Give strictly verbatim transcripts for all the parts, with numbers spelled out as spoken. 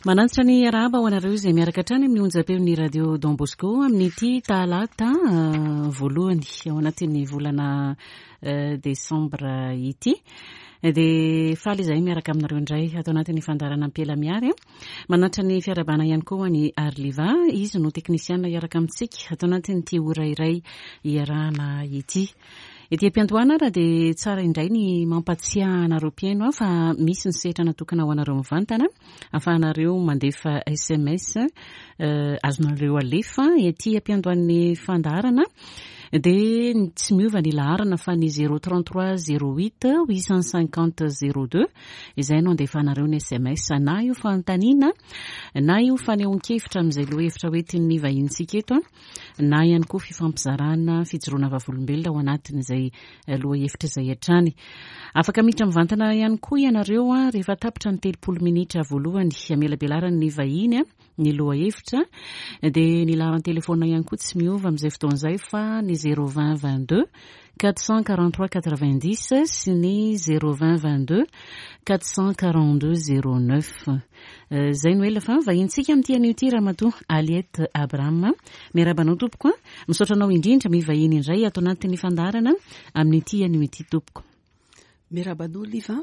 Manantitra ny arahaba ho anareo izay miaraka hatrany amin'ny onjam-peon'ny Radio Don Bosco amin'ity talata voalohany ao anatin'ny volana desambra ity. Dia faly izahay miaraka aminareo indray ato anatin'ny fandaharana Ampiela Miary. Manantitra ny fiarahabana ihany koa ny Arliva, izy no teknisiana hiaraka amintsika ato anatin'ity ora iray iarahana ity. Ety am-piandohana ary dia tsara indray ny mampatsiahy anareo mpihaino fa misy ny sehatra natokana ho anareo mivantana ahafahanareo mandefa S M S azonareo alefa ety am-piandohan'ny fandaharana. Dia tsy miova ny laharana fa ny zéro trente-trois zéro huit huit cent cinquante zéro deux izay no andefanareo ny S M S, na io fanontaniana na io fanehoan-kevitra amin'izay lohahevitra hoentin'ny vahinintsika eto, na ihany koa fifampizarana fijoroana vavolombelona ao anatin'izay lohahevitra izay hatrany. Afaka miditra mivantana ihany koa ianareo a rehefa tapitra ny telopolo minitra voalohany amelabelaran'ny vahiny a ny lohahevitra. Dia ny laharan-telefona ihany koa tsy miova amin'izay fotoan'izay fa ny zéro vingt vingt-deux quatre cent quarante-trois quatre-vingt-dix sy ny zéro vingt vingt-deux quatre cent quarante-deux zéro neuf. Zay no ela fa vahinintsika amin'ity anio ity ramatoa Aliette Abraham. Miarahaba anao tompoko a, misaotra anao indrindra mivahiny indray ato anatin'ny fandaharana amin'ity anio ity tompoko. Miarahaba anao Liva,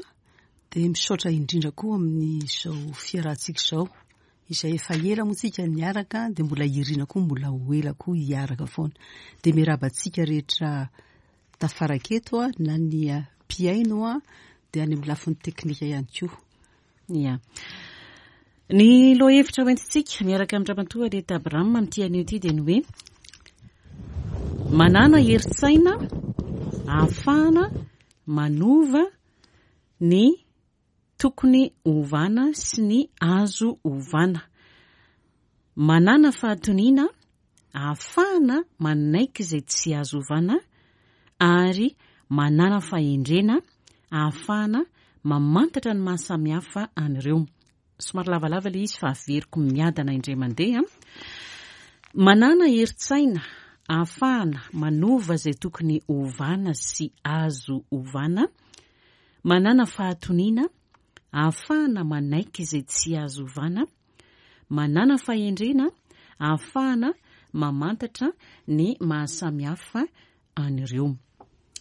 dia misaotra indrindra koa amin'izao fiarahantsika izao izay efa ela moa tsika niaraka, dia mbola irina koa mbola ho ela koa hiaraka foana. Dia miarahaba antsika rehetra tafaraka eto a, na ny mpihaino a, dia any amin'ny lafiny teknika ihany koa. Ia, ny lohahevitra hoentintsika miaraka amin'ny ramatoa Aliette Abraham amin'ity anio ity dia ny hoe manana herin-tsaina ahafahana manova ny tokony ovana sy ny azo ovana, manana fahatoniana ahafahana manaiky izay tsy azo ovana, ary manana fahendrena ahafahana mamantatra ny mahasamihafa an'ireo. Somary lavalava le izy fa averiko miadana indray mandeha. Manana herin-tsaina ahafahana manova izay tokony ovana sy azo ovana, manana fahatoniana ahafahana manaiky izay tsy azo ovana, manana fahendrena ahafahana mamantatra ny mahasamihafa an'ireo.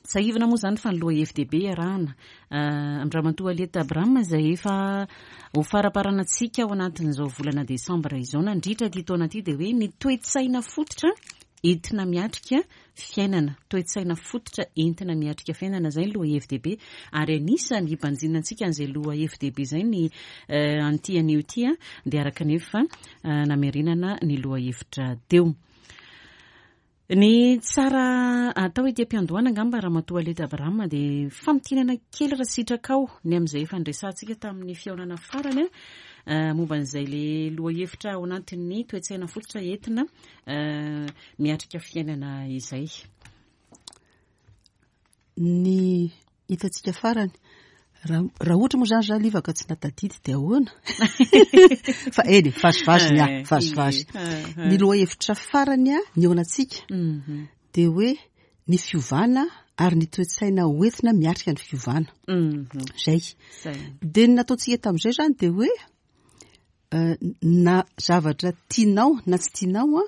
Sahivina moa zany fa ny loha hevi-dehibe iarahana amin-dramatoa Aliette Abraham izay efa ho faramparanantsika ao anatin'izao volana desambra izao nandritra ty taona ity dia hoe ny toe-tsaina fototra entina miatrika fiainana. Toe-tsaina fototra entina miatrika fiainana, zay ny loha hevi-dehibe, ary anisany hibanjinantsika an'izay loha hevi-dehibe zay ny an'ity anio ity a dia araka nefa namerenana ny loha hevitra teo. Ny tsara atao ety am-piandohana angamba, ramatoa Aliette Abraham, dia famintinana kely raha sitrakao ny amin'izay efa nresantsika tamin'ny fihaonana farany a momba an'izay le loha hevitra ao anatin'ny toe-tsaina fototra entina miatrika fiainana izay. Ny hitantsika farany, raha ohatra moa zany za Liva ka tsy natadidy dia ahoana? Fa eny, vazivazy ny ah vazivazy ny loha hevitra farany a ny eo anantsika Mhm. dia hoe ny fiovana ary ny toe-tsaina hoentina miatrika ny fiovana. Mhm. Zay. Zay. Dia ny nataontsika tamin'izay zany dia hoe eh, na zavatra tianao na tsy tianao a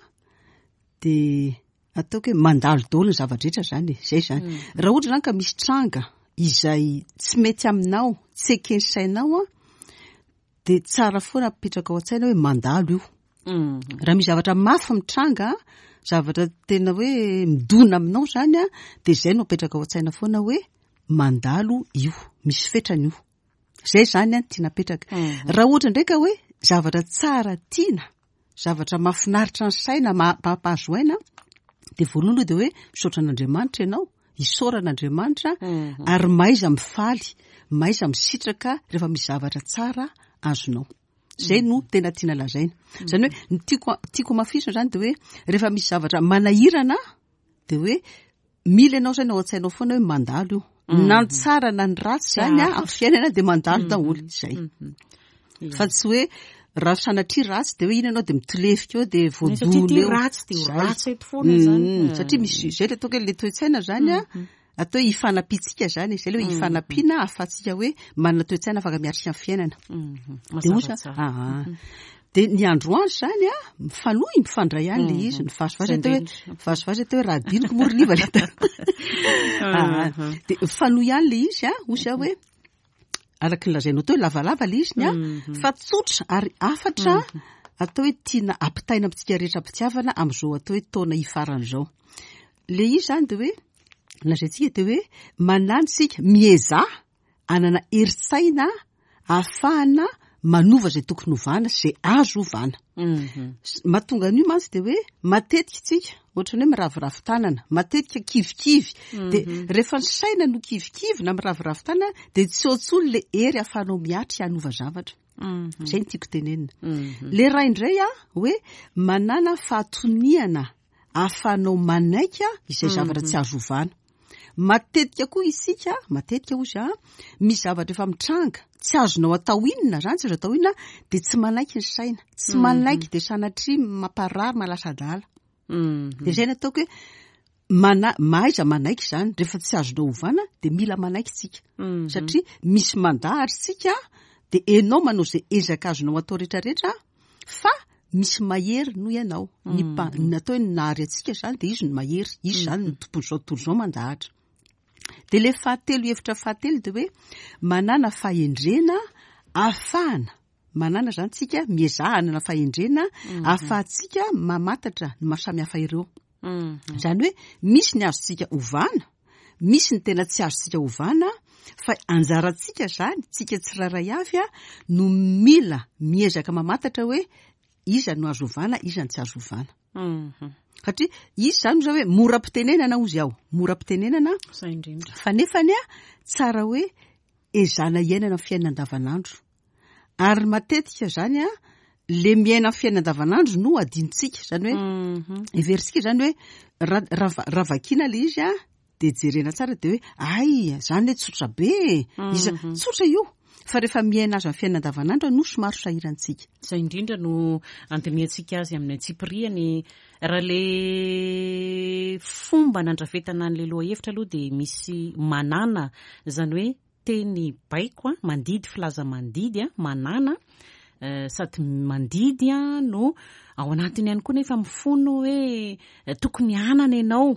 dia ataoko hoe mandalo daholo ny zava-drehetra zany e, zay zany. Raha ohatra zany ka misy tranga izay tsy mety aminao, tsy ekeny sainao a dia tsara foana apetraka ao an-tsaina hoe mandalo io. Mhm. Raha misy zavatra mafy mitranga, zavatra tena hoe midona aminao zany a dia zay no apetraka ao an-tsaina foana hoe mandalo io, misy fetrany io. Zay zany a tiana apetraka. Mhm. Raha ohatra indray ka hoe zavatra tsara tiana, zavatra mahafinaritra ny saina, ma- mampahazo aina, dia voalohany aloha dia hoe misaotra an'Andriamanitra ianao, isaorana Andriamanitra, Mhm. ary mahaiza mifaly, mahaiza misitraka rehefa misy zavatra tsara azonao. Zay no tena tiana lazaina. Zany hoe ny tiako tiako hamafisina zany dia hoe rehefa misy zavatra manahirana dia hoe mila ianao zany ao an-tsainao foana hoe mandalo io. Na ny tsara na ny ratsy zany a amin'ny fiainana dia mandalo daholo zay. Mhm. Fa tsy hoe raha sanatria ratsy dia hoe iny ianao dia mitolefika eo dia Satria voadona ty eo. ratsy dia ho Zay. ratsy eto foana zany. Mm, satria misy zay le ataoko hoe le toe-tsaina zany a Atao hoe ifanampiantsika zany, zay le hoe ifanampiana ahafahantsika hoe manana toe-tsaina afaka miatrika ny fiainana. De oza aa de ny androany zany a, mifanohy mifandray ihany le izy, ny vazivazy atao hoe vazivazy atao hoe raha diniko moa ry liva le de mifanohy ihany le izy a. Ozy aho hoe araky ny lazainao teo hoe lavalava le izy ny a, fa tsotra ary afatra atao hoe tiana ampitaina amintsika rehetra am-pitiavana am'izao atao hoe taona hifaran'izao. Le izy zany de hoe lazaintsika de hoe manano sika miezaha anana herin-tsaina ahafahana manova zay tokony hovana sy zay azo hovana. Mahatonga an'io mantsy de hoe matetika tsika ohatrany hoe miraviravy tanana, matetika kivikivy, de rehefa ny saina no kivikivy na miraviravy tanana de tsy eo intsony le hery ahafahanao miatrika hanova zavatra. Zay no tiako tenenina. Le ray indray a hoe manana fahatoniana ahafahanao manaika izay zavatra tsy azo ovana. Matetika koa isika, matetika ozy a, misy zavatra efa mitranga tsy azonao atao inona zany, tsy azo atao inona, de tsy manaiky ny saina, tsy manaiky, de sanatria mamparary, mahalasa adala. De zay no ataoko hoe mana mahaiza manaiky zany rehefa tsy azonao ovana, de mila manaiky tsika satria misy mandahatra tsika, de enao manao zay ezaka azonao atao rehetrarehetra fa misy mahery noho ianao. Ny mpa- ny atao hoe nahary antsika zany de izy no mahery, izy zany no tompon'izao tontolo izao mandahatra. De le fahatelo, hevitra fahatelo, de hoe manana fahendrena ahafahana manana zany tsika, miezaha hanana fahendrena ahafahantsika mamantatra ny mahasamihafa ireo. Zany hoe misy ny azontsika ovana, misy ny tena tsy azontsika ovana, fa anjarantsika zany, tsika tsirairay avy a no mila miezaka mamantatra hoe iza no azo ovana, iza no tsy azo ovana. Satria izy zany zao hoe mora ampitenenana ozy aho, mora ampitenenana Zay indrindra. Fa nefany a tsara hoe ezana iainana amin'ny fiainana andavanandro, ary matetika zany a le miaina amin'ny fiainana andavanandro no adinontsika zany, hoe heverintsika zany hoe raha raha raha vakiana le izy a de jerena tsara de hoe ay zany hoe tsotra be iza, tsotra io, fa rehefa miaina azy amin'ny fiainana andavanandro no somary sahirantsika. Zay indrindra no andinihantsika azy amin'ny antsipiriany. Raha le fomba nandrafetana an'le loha hevitra aloha de misy manana zany hoe teny baiko a, mandidy, filaza mandidy a, manana eh, sady mandidy a no ao anatiny ihany koa nefa mifono hoe eh, tokony hanana ianao.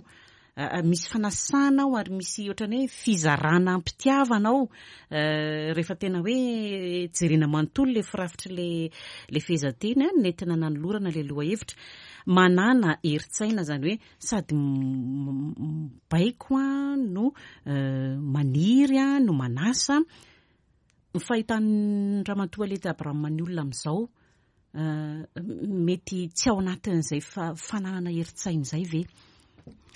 Ah, ah, misy fanasana ao ary misy ohatrany hoe fizarana ampitiavana ao. Eh, rehefa tena hoe jerena manontolo le firafitry le le fehezanteny a nentina nanolorana le loha hevitra manana herin-tsaina, zany hoe sady m- m- baiko a no eh, maniry a no manasa. Ny fahitan'ny ramatoa Alety Abraham ny olona amin'izao eh, mety tsy ao anatin'izay fa fananana herin-tsaina izay ve?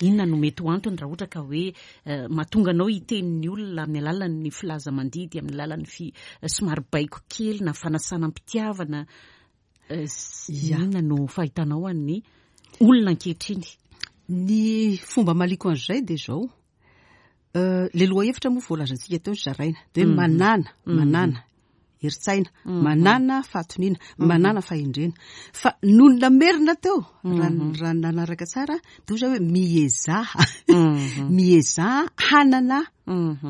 Inona no mety ho antony raha ohatra ka hoe eh, mahatonga anao hitenin'ny olona amin'ny alalan'ny filaza mandidy, amin'ny alalan'ny fi somary baiko kely na fanasana am-pitiavana eh, s- Ya. Inona no fahitanao an'ny olona ankehitriny? Ny fomba maliko an'izay de zao. Euh, le loha hevitra moa voalazantsika teo zaraina de hoe manana manana herin-tsaina, manana fahatoniana, manana fahendrena, fa noho ny namerina teo raha raha nanaraka tsara de ozy hoe miezaha miezaha hanana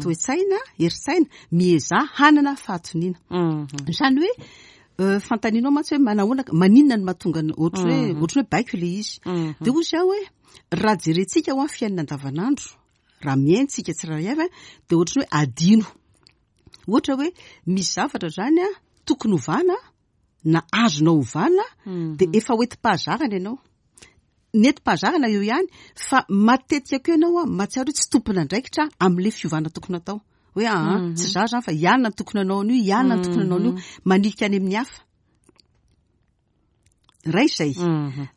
toe-tsaina, herin-tsaina, miezaha hanana fahatoniana. Zany hoe euh, fantaninao mantsy hoe manahoana, maninona no mahatonga ny- ohatry hoe ohatry hoe baiko le izy, de ozy aho hoe raha jerentsika ho amin'ny fiainana andavanandro, raha miaintsika tsirairay avy a, de ohatry ny hoe adino, ohatra hoe misy zavatra zany a tokony hovana na azonao ovana, de efa hoentim-pahazarana ianao, nentim-pahazarana eo ihany, fa matetika koa ianao a mahatsiaro hoe tsy tompon'andraikitra amin'le fiovana tokony atao, hoe aa tsy za zany fa ianona ny tokony anao an'io, ianona ny tokony anao an'io, manilika any amin'ny hafa ray zay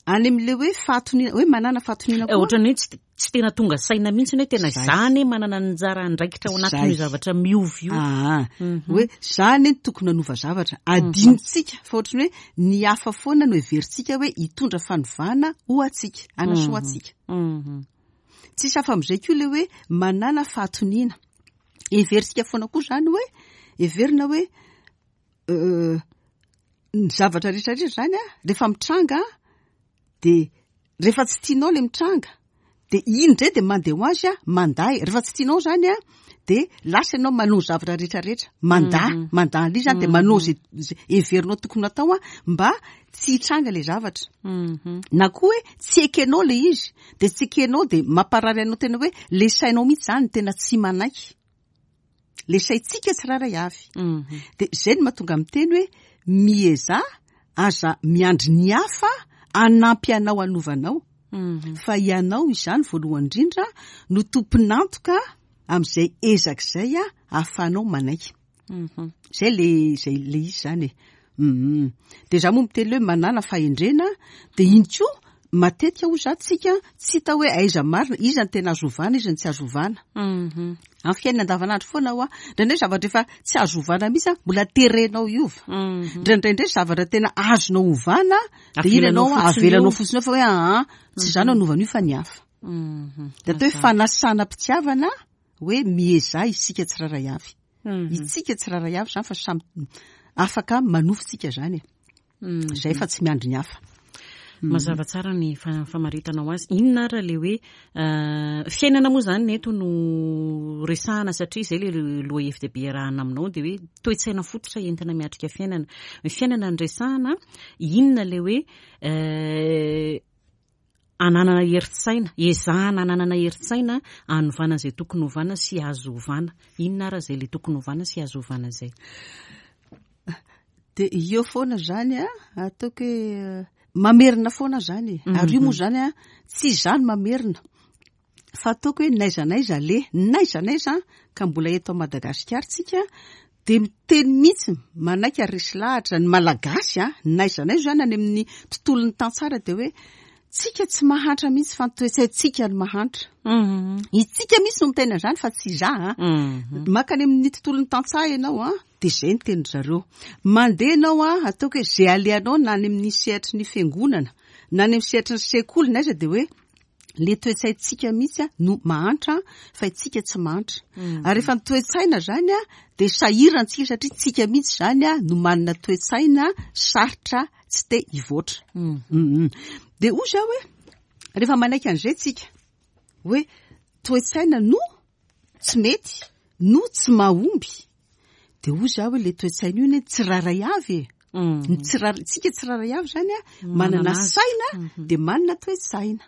any amin'le hoe fahatoniana, hoe manana fahatoniana Eh, koa. Ohatrany hoe tsy tsy tena tonga saina mihitsy hoe tena Zay. zany manana anjara andraikitra ao anatin'io Zay. zavatra miovy io. Aa hoe zany ny tokony hanova zavatra, adinontsika fa ohatrany hoe ny hafa foana no heverintsika hoe hitondra fanovana ho antsika, anasoa antsika. Mhm. Tsisy hafa amin'izay koa le hoe manana fahatoniana, heverintsika foana koa zany hoe heverina hoe euh, ny zavatra rehetrarehetra zany a rehefa mitranga, de rehefa tsy tianao le mitranga De iny indray de mandeha ho azy a, mandà e. Rehefa tsy tianao zany a, de lasa ianao manao zavatra rehetrarehetra, mandà, mandà an'ilay izy zany, de manao zay zay heverinao tokony atao a mba tsy hitranga le zavatra. Na koa hoe tsy ekenao le izy, de tsy ekenao, de mamparary anao tena hoe le sainao mihitsy zany tena tsy manaiky. Le saintsika tsirairay avy. De zay no mahatonga miteny hoe miezaha, aza miandry ny hafa hanampy anao hanovanao. Fa ianao izany voalohany indrindra no tompon'antoka amin'izay ezaka izay a ahafahanao manaiky. Zay le zay le izy zany e. Mhm. De za moa miteny hoe manana fahendrena, de iny koa matetika hoy za tsika tsy hita hoe aiza marina, iza ny tena azo ovana, iza ny tsy azo ovana. Amin'ny fiainana andavanandro foana ho a, indraindray zavatra efa tsy azo ovana mihitsy a, mbola terenao hiova. Indraindray indray zavatra tena azonao ovana, de iny Avelanao ianao fotsiny avelanao eo. fotsiny eo fa hoe aa, tsy za no hanova an'io fa ny hafa. De atao hoe fanasana mpitiavana hoe miezaha isika tsirairay avy. Itsika tsirairay avy zany fa samy afaka manofy tsika zany e. Zay fa tsy miandry ny hafa. Mazava tsara ny fa- famaritanao azy. Inona ara le hoe euh, fiainana moa zany eto no resahana, satria zay le lohahevi-dehibe iarahana aminao, de hoe toe-tsaina fototra entina miatrika fiainana. Ny fiainana ny resahana, inona le hoe euh, ananana herin-tsaina, ezahana ananana herin-tsaina anovana izay tokony hovana sy azo ovana. Inona ara zay le tokony hovana sy azo ovana zay? De eo foana zany a, ataoko hoe eh, mamerina foana zany e. Ary io moa zany a, tsy izany mamerina. Fa ataoko hoe n'aiza n'aiza le, n'aiza n'aiza ka mbola eto Madagasikara tsika, de miteny mihitsy manaiky ary resy lahatra ny Malagasy a, n'aiza n'aiza zany any amin'ny tontolon'ny tantsara, de hoe tsika tsy mahantra mihitsy fa ny toe-tsaintsika no mahantra. Itsika mihitsy no miteny an'izany fa tsy za a. Makany amin'ny tontolon'ny tantsaha ianao a, de zay ny tenin-dry zareo. Mandeha ianao a, ataoko hoe zay alehanao na any amin'ny sehatry ny fiangonana, na any amin'ny sehatry ny sekoly, na aiza, de hoe le toe-tsaintsika mihitsy a no mahantra fa itsika tsy mahantra. Ary rehefa ny toe-tsaina zany a, de sahirantsika satria tsika mihitsy zany a no manana toe-tsaina sarotra, tsy te hivoatra. Mhm. De hoy za hoe rehefa manaiky an'izay tsika hoe toe-tsaina no tsy mety, no tsy mahomby, de hoy za hoe le toe-tsaina io ne tsirairay avy e. Ny tsirairay, tsika tsirairay avy zany a manana azy. saina, de manana toe-tsaina.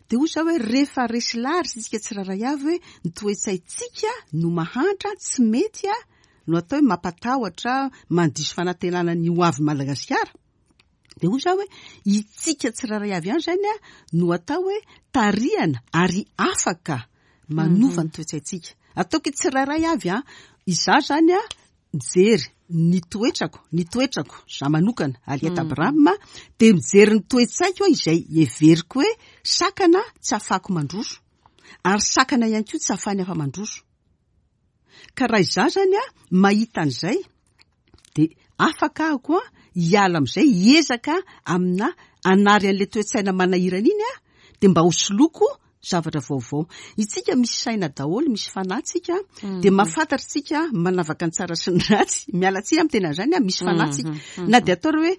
De hoy za hoe rehefa resy lahatra isika tsirairay avy hoe ny toe-tsaintsika no mahantra, tsy mety a, no atao hoe mampatahotra, mandiso fanantenana ny ho avy Madagasikara. De hoy za hoe itsika tsirairay avy ihany zany a no atao hoe tarihana ary afaka manova ny toe-tsaintsika. Ataoko hoe tsirairay avy a, izaho zany a mijery ny toetrako, ny toetrako za manokana Aliette Abraham, de mijery ny toe-tsaiko a izay heveriko hoe sakana tsy ahafahako mandroso, ary sakana ihany koa tsy ahafahany hafa mandroso. Ka raha izaho zany a mahita an'izay, de afaka aho koa hiala amin'izay, hiezaka amina anary an'ilay toe-tsaina manahirana iny a, de mba ho soloko zavatra vaovao. Itsika misy saina daholo, misy fanahy tsika, de mahafantatra tsika manavaka ny tsara sy ny ratsy. Miala tsiny amin'ny tena an'izany a, misy fanahy tsika. Na de atao hoe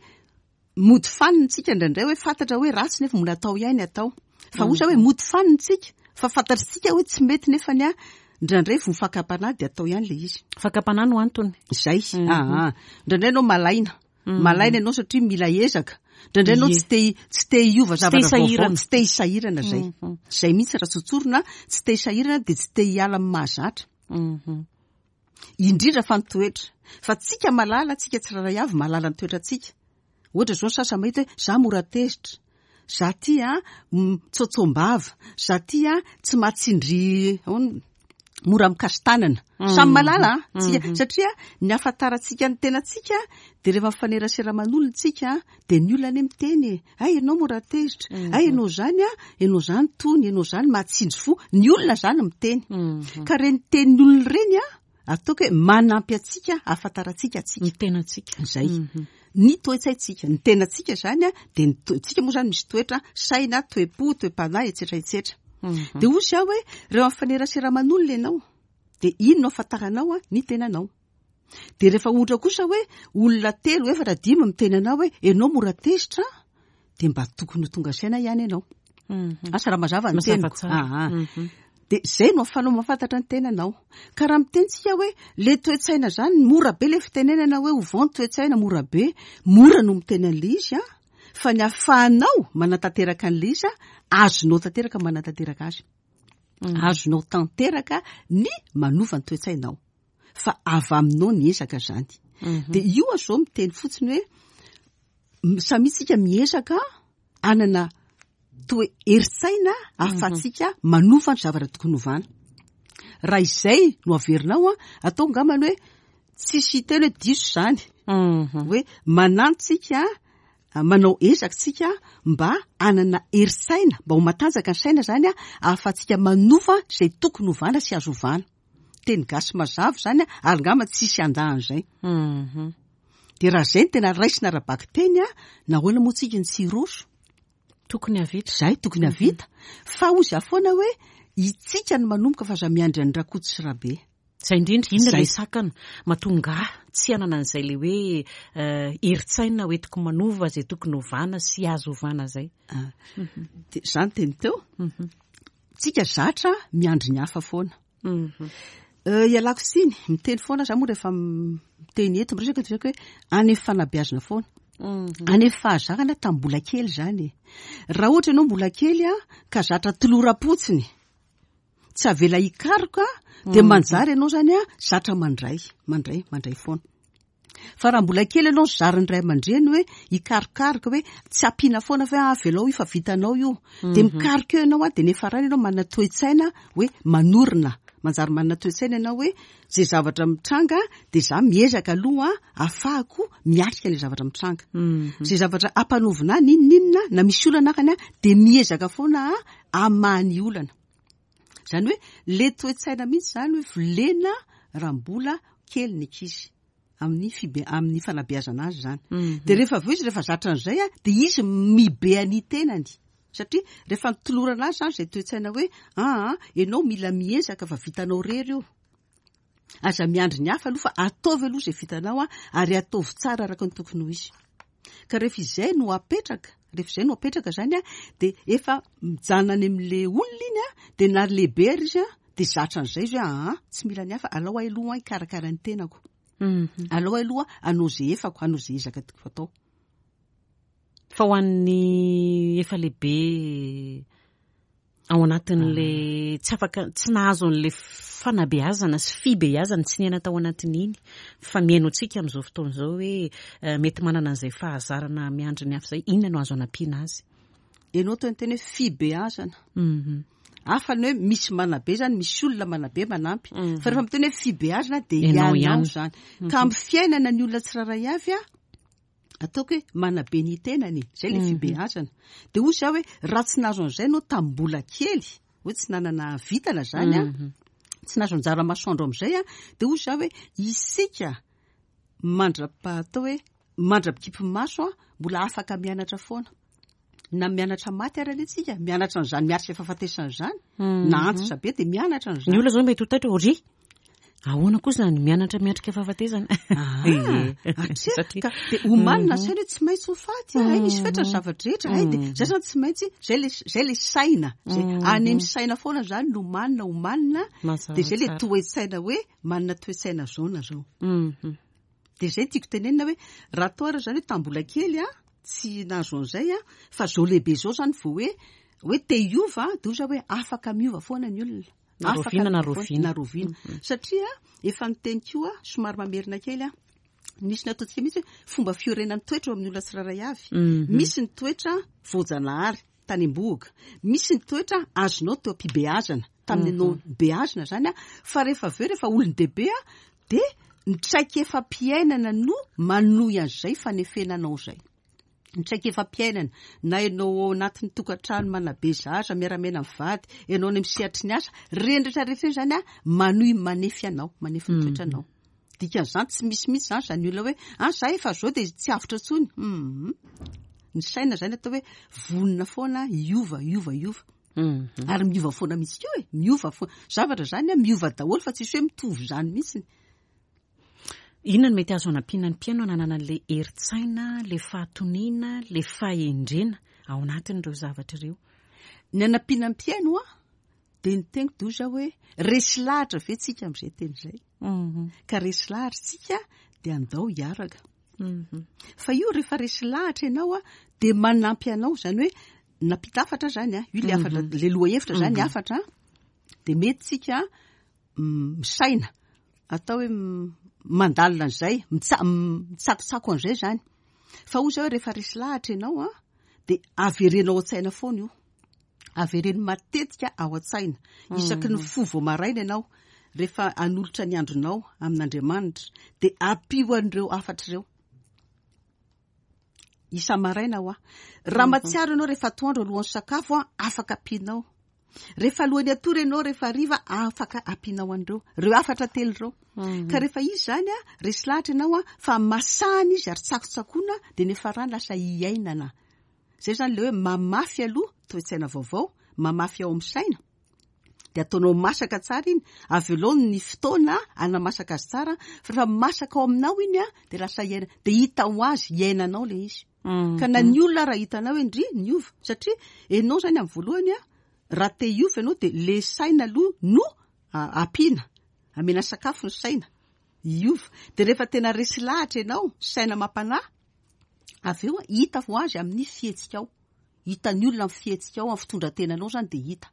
mody fanina tsika indraindray hoe fantatra hoe ratsy nefa mbola atao ihany atao. Fa ohatra hoe mody fanina tsika, fa fantatritsika hoe tsy mety nefany a, indraindray vo fakam-panahy de atao ihany le izy. Fakam-panahy no antony. Zay. Ah, ah. Indraindray ianao malaina. Malaina ianao satria mila ezaka. Indraindray ianao Ie. tsy te tsy te hiova Tsy te zavatra vaovao, hisahirana. tsy te hisahirana zay. Zay mihitsy raha tsotsorina, tsy te hisahirana de tsy te hiala amin'ny mahazatra. Indrindra fa ny toetra. Fa tsika malala, tsika tsirairay avy mahalala ny toetrantsika. Ohatra zao ny sasany mahita hoe za mora tezitra, za ty a mitsotsom-bava, za ty a tsy mahatsindry ahoana, mora mikasi-tanana. Samy malala a, tsika, satria ny ahafantarantsika ny tenantsika de rehefa mifanerasera aman'olona tsika, de ny olona anie miteny e, ay ianao mora tezitra, ay ianao zany a, ianao zany tony, ianao zany mahatsindry fo, ny olona zany miteny. Ka reny tenin'ny olona ireny a, ataoko hoe manampy antsika ahafantarantsika antsika. Ny tenantsika. Zay. Ny toe-tsaintsika, ny tenantsika zany a, de ny toe- tsika moa zany misy toetra, saina, toe-po, toe-panahy, etsetra etsetra. De hoy zaho hoe rehefa mifanerasera aman'olona ianao, de ino no ahafantaranao a ny tenanao. De rehefa ohatra kosa hoe olona telo, efatra, dimy miteny anao hoe ianao mora tezitra, de mba tokony ho tonga saina ihany ianao. Asa raha mazava ny teniko. Aa de zay no ahafahanao mahafantatra ny tenanao. Ka raha miteny tsika hoe le toe-tsaina zany, mora be le fitenenana hoe ovao ny toe-tsaina, mora be, mora no miteny an'le izy a, fa ny ahafahanao manatanteraka an'le izy a, azonao tanteraka manatanteraka azy, azonao tanteraka ny manova ny toe-tsainao, fa avy aminao ny ezaka zany. De io a zao miteny fotsiny hoe samy tsika miezaka anana toe herin-tsaina ahafahantsika manova ny zavatra tokony hovana. Raha izay no averinao a, atao ngamany hoe tsisy teny hoe diso zany, hoe manantsika manao ezaka tsika mba anana herin-tsaina, mba ho matanjaka ny saina zany a, ahafahantsika manova izay tokony hovana sy azo ovana. Teny gasy mazava zany a, ary ngamba tsisy andahan'izay. De raha zay no tena raisina ara-bakiteny a, nahoana moa tsika ny tsy hiroso? Tokony havita. Zay tokony havita. Fa hoy za foana hoe itsika no manomboka fa aza miandry any Rakoto sy Rabe. Zay indrindra, inona Zay. le sakana mahatonga ahy tsy hanana an'izay le hoe herin-tsaina hoentiko manova zay tokony hovana sy azo ovana zay? Ah, de zany teny teo. Tsika zatra miandry ny hafa foana. Euh, ialako tsiny, miteny foana za moa rehefa miteny eto miresaka de hoe any amin'ny fanabeazana foana. Any amin'ny fahazarana tamin'ny mbola kely zany. Raha ohatra ianao mbola kely a, ka zatra toloram-potsiny, tsy avela hikaroka, de manjary ianao zany a, zatra mandray, mandray, mandray foana. Fa raha mbola kely ianao zarin'ny ray aman-dreny hoe hikarokaroka, hoe tsy ampiana foana fa hoe avelao io fa vitanao io. De mikaroka eo ianao a, de nefa rany ianao manana toe-tsaina hoe manorina. Manjary manana toe-tsaina ianao hoe zay zavatra mitranga de za miezaka aloha ahafahako miatrika ilay zavatra mitranga. Zay zavatra ampanovina ahy n'inon'inona na misy olana akany a, de miezaka foana hamaha ny olana. Zany hoe le toe-tsaina mihitsy zany hoe volena raha mbola kely ny ankizy amin'ny fibe amin'ny fanabeazana azy zany. De rehefa avy eo izy rehefa zatra an'izay a, de izy mibe any tenany. Satria rehefa nitolorana azy zany zay toe-tsaina hoe aa ianao mila miezaka fa vitanao rery io. Aza miandry ny hafa aloha fa ataovy aloha izay vitanao a, ary ataovy tsara araka ny tokony ho izy. Ka rehefa izay no apetraka, rehefa izay no apetraka zany a, de efa mijanona any amin'le olona iny a, de na lehibe ary izy a, de zatra an'izay izy hoe aa tsy mila ny hafa, alao ahy aloha hikarakara ny tenako. Alao ahy aloha hanao izay efako, hanao izay ezaka tiako atao. Fa ho an'ny efa lehibe ao anatin'le tsy afaka, tsy nahazo an'le fanabeazana sy fibeazana, tsy niaina tao anatin'iny, fa mihaino antsika amin'izao fotoana izao hoe mety manana an'izay fahazarana miandry ny hafa izay, inona no azo anampiana azy? Ianao toy ny teny hoe fibeazana. Hafa ny hoe misy manabe zany, misy olona manabe manampy. Fa rehefa miteny hoe fibeazana de Ianao ianao ihany. zany. Ka amin'ny fiainana ny olona tsirairay avy a, ataoko hoe manabe ny tenany, zay le fibeazana. De hoy za hoe raha tsy nahazo an'izay ianao tamin'ny mbola kely, hoe tsy nanana vitana zany a, tsy nahazo anjara masoandro amin'izay a, de hoy za hoe isika mandra-pahatao hoe mandra-pikipy maso a, mbola afaka mianatra foana. Na mianatra maty ary anie tsika, mianatra an'izany miatrika fahafatesana izany, na antitra be de mianatra an'izany. Ny olona zao mety ho taitra, ry ahoana koa zany mianatra miatrika fahafatesana? Ah, atreha ka de omanina saina hoe tsy maintsy ho faty, ay misy fetra ny zavatra rehetra, ay de zay zany tsy maintsy, zay le zay le saina, zay any amin'ny saina foana zany no omanina, omanina, Mazava de zay le tsara. toe-tsaina hoe manana toe-tsaina zao na zao. De zay tiako tenenina hoe raha atao ary zany hoe tambola kely a, tsy nahazo an'izay a, fa zao lehibe zao zany vao hoe hoe te hiova, de hoy za hoe afaka miova foana ny olona. Na Afaka roviana na miova foana, roviana. na roviana. Satria efa niteny koa, somary mamerina kely a, nisy nataontsika mihitsy hoe fomba fiorenan'ny toetra eo amin'ny olona tsirairay avy. Misy ny toetra voajanahary tany am-bohoka, misy ny toetra azonao teo am-pibeazana, tamin'ny anao beazina zany a, fa rehefa avy eo rehefa olon-dehibe a, de ny traikefa-piainana no manohy an'izay fanefenanao izay. Ny traikefa-piainana, na ianao ao anatin'ny tokantrano manabe zaza, miara-miaina mivady, ianao any amin'ny sehatry ny asa, ireny rehetra rehetra ireny zany a, manohy manefy anao, manefy ny toetranao. Dikan'izany tsy misy mihitsy zany zany olona hoe ah za efa zao de tsy avotra intsony. Mhm. Ny saina zany atao hoe vonona foana hiova, hiova, hiova. Ary miova foana mihitsy koa e, miova foana. Zavatra zany a miova daholo fa tsisy hoe mitovy zany mihitsy. Inona no mety azo anampiana ny mpihaino hananana an'le herin-tsaina, le fahatoniana, le fahendrena ao anatin'ireo zavatra ireo? Ny anampiana mpihaino a, de ny teniko de hoy za hoe resy lahatra ve tsika am'izay teny zay? Mhm. Ka resy lahatra tsika, de andao hiaraka. Mhm. Fa io rehefa resy lahatra ianao a, de manampy anao zany hoe nampita hafatra zany a, io le hafatra, le loha hevitra zany hafatra, de mety tsika mm, misaina atao hoe mm, mandalina an'izay, mitsa- mitsakotsako an'izay zany. Fa hoy zao hoe rehefa resy lahatra ianao a, de averenao an-tsaina foana io, avereno matetika ao an-tsaina isaky ny fo vao maraina ianao, rehefa anolotra ny andronao amin'Andriamanitra, de ampio an'ireo hafatra ireo isa-maraina ho a. Raha matsiaro ianao rehefa atoandro alohan'ny sakafo a, afaka ampianao. Rehefa alohan'ny atory ianao, rehefa hariva, afaka ampianao an'ireo reo hafatra telo ireo. Ka rehefa izy zany a, resy lahatra ianao a, fa masahana izy ary tsakotsakoana, de nefa rany lasa iainana zay zany. Le hoe mamafy aloha toe-tsaina vaovao, mamafy ao amin'ny saina, de ataonao masaka tsara iny, avy aloha ny fotoana anamasaka azy tsara, fa rehefa masaka ao aminao iny a, de lasa iaina, de hita ho azy iainanao le izy. Ka na ny olona raha hitanao hoe ndry niova, satria ianao zany amin'ny voalohany a, raha te hiova ianao, de le saina aloha no ampiana, amena sakafo ny saina hiova. De rehefa tena resy lahatra ianao, saina mampanahy, avy eo a, hita ho azy amin'ny fihetsika ao, hitan'ny olona amin'ny fihetsika ao, amin'ny fitondran-tenanao zany, de hita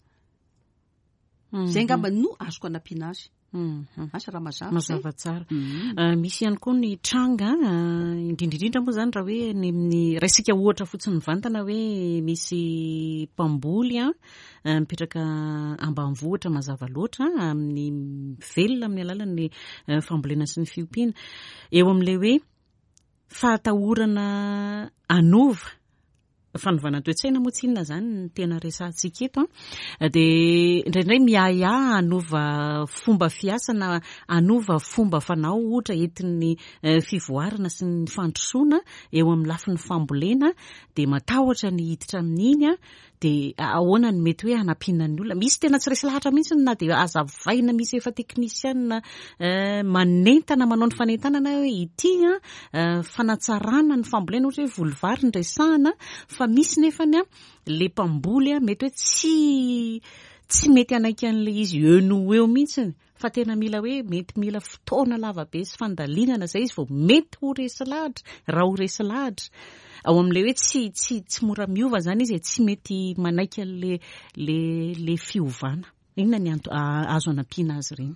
zay ngamba no azoko anampiana azy. Mhm. Asa raha mazava. Mazava tsara. Mhm. Uh, misy ihany koa ny tranga, uh, indrindraindrindra moa zany raha hoe ny amin'ny raisika ohatra fotsiny mivantana hoe misy mpamboly a, uh, mipetraka ambanivohitra mazava loatra, amin'ny velona amin'ny alalan'ny uh, fambolena sy ny fiompiana, eo amin'ilay hoe fahatahorana anova fanovana toe-tsaina moa tsy inona zany ny tena resahantsika eto a, de indraindray miahiahy anova fomba fiasa na anova fomba fanao ohatra entin'ny eh, fivoarana sy ny fandrosoana eo amin'ny lafin'ny fambolena, de matahotra ny hiditra amin'iny a. De ahoana ny mety hoe hanampiana ny olona misy tena tsy resy lahatra mihitsy na de azavaina, misy efa teknisiana eh, manentana, manao ny fanentanana hoe ity a, eh, fanatsarana ny fambolena, ohatra hoe voly vary ny resahana, fa misy nefany a, le mpamboly a, mety hoe tsy tsy mety hanaiky an'le izy eo no eo mihitsiny, fa tena mila hoe mety mila fotoana lava be sy fandalinana zay izy vao mety ho resy lahatra, raha ho resy lahatra ao amin'le hoe tsy tsy tsy mora miova zany izy e, tsy mety manaiky an'le le le fiovana. Inona ny anto azo anampiana azy ireny?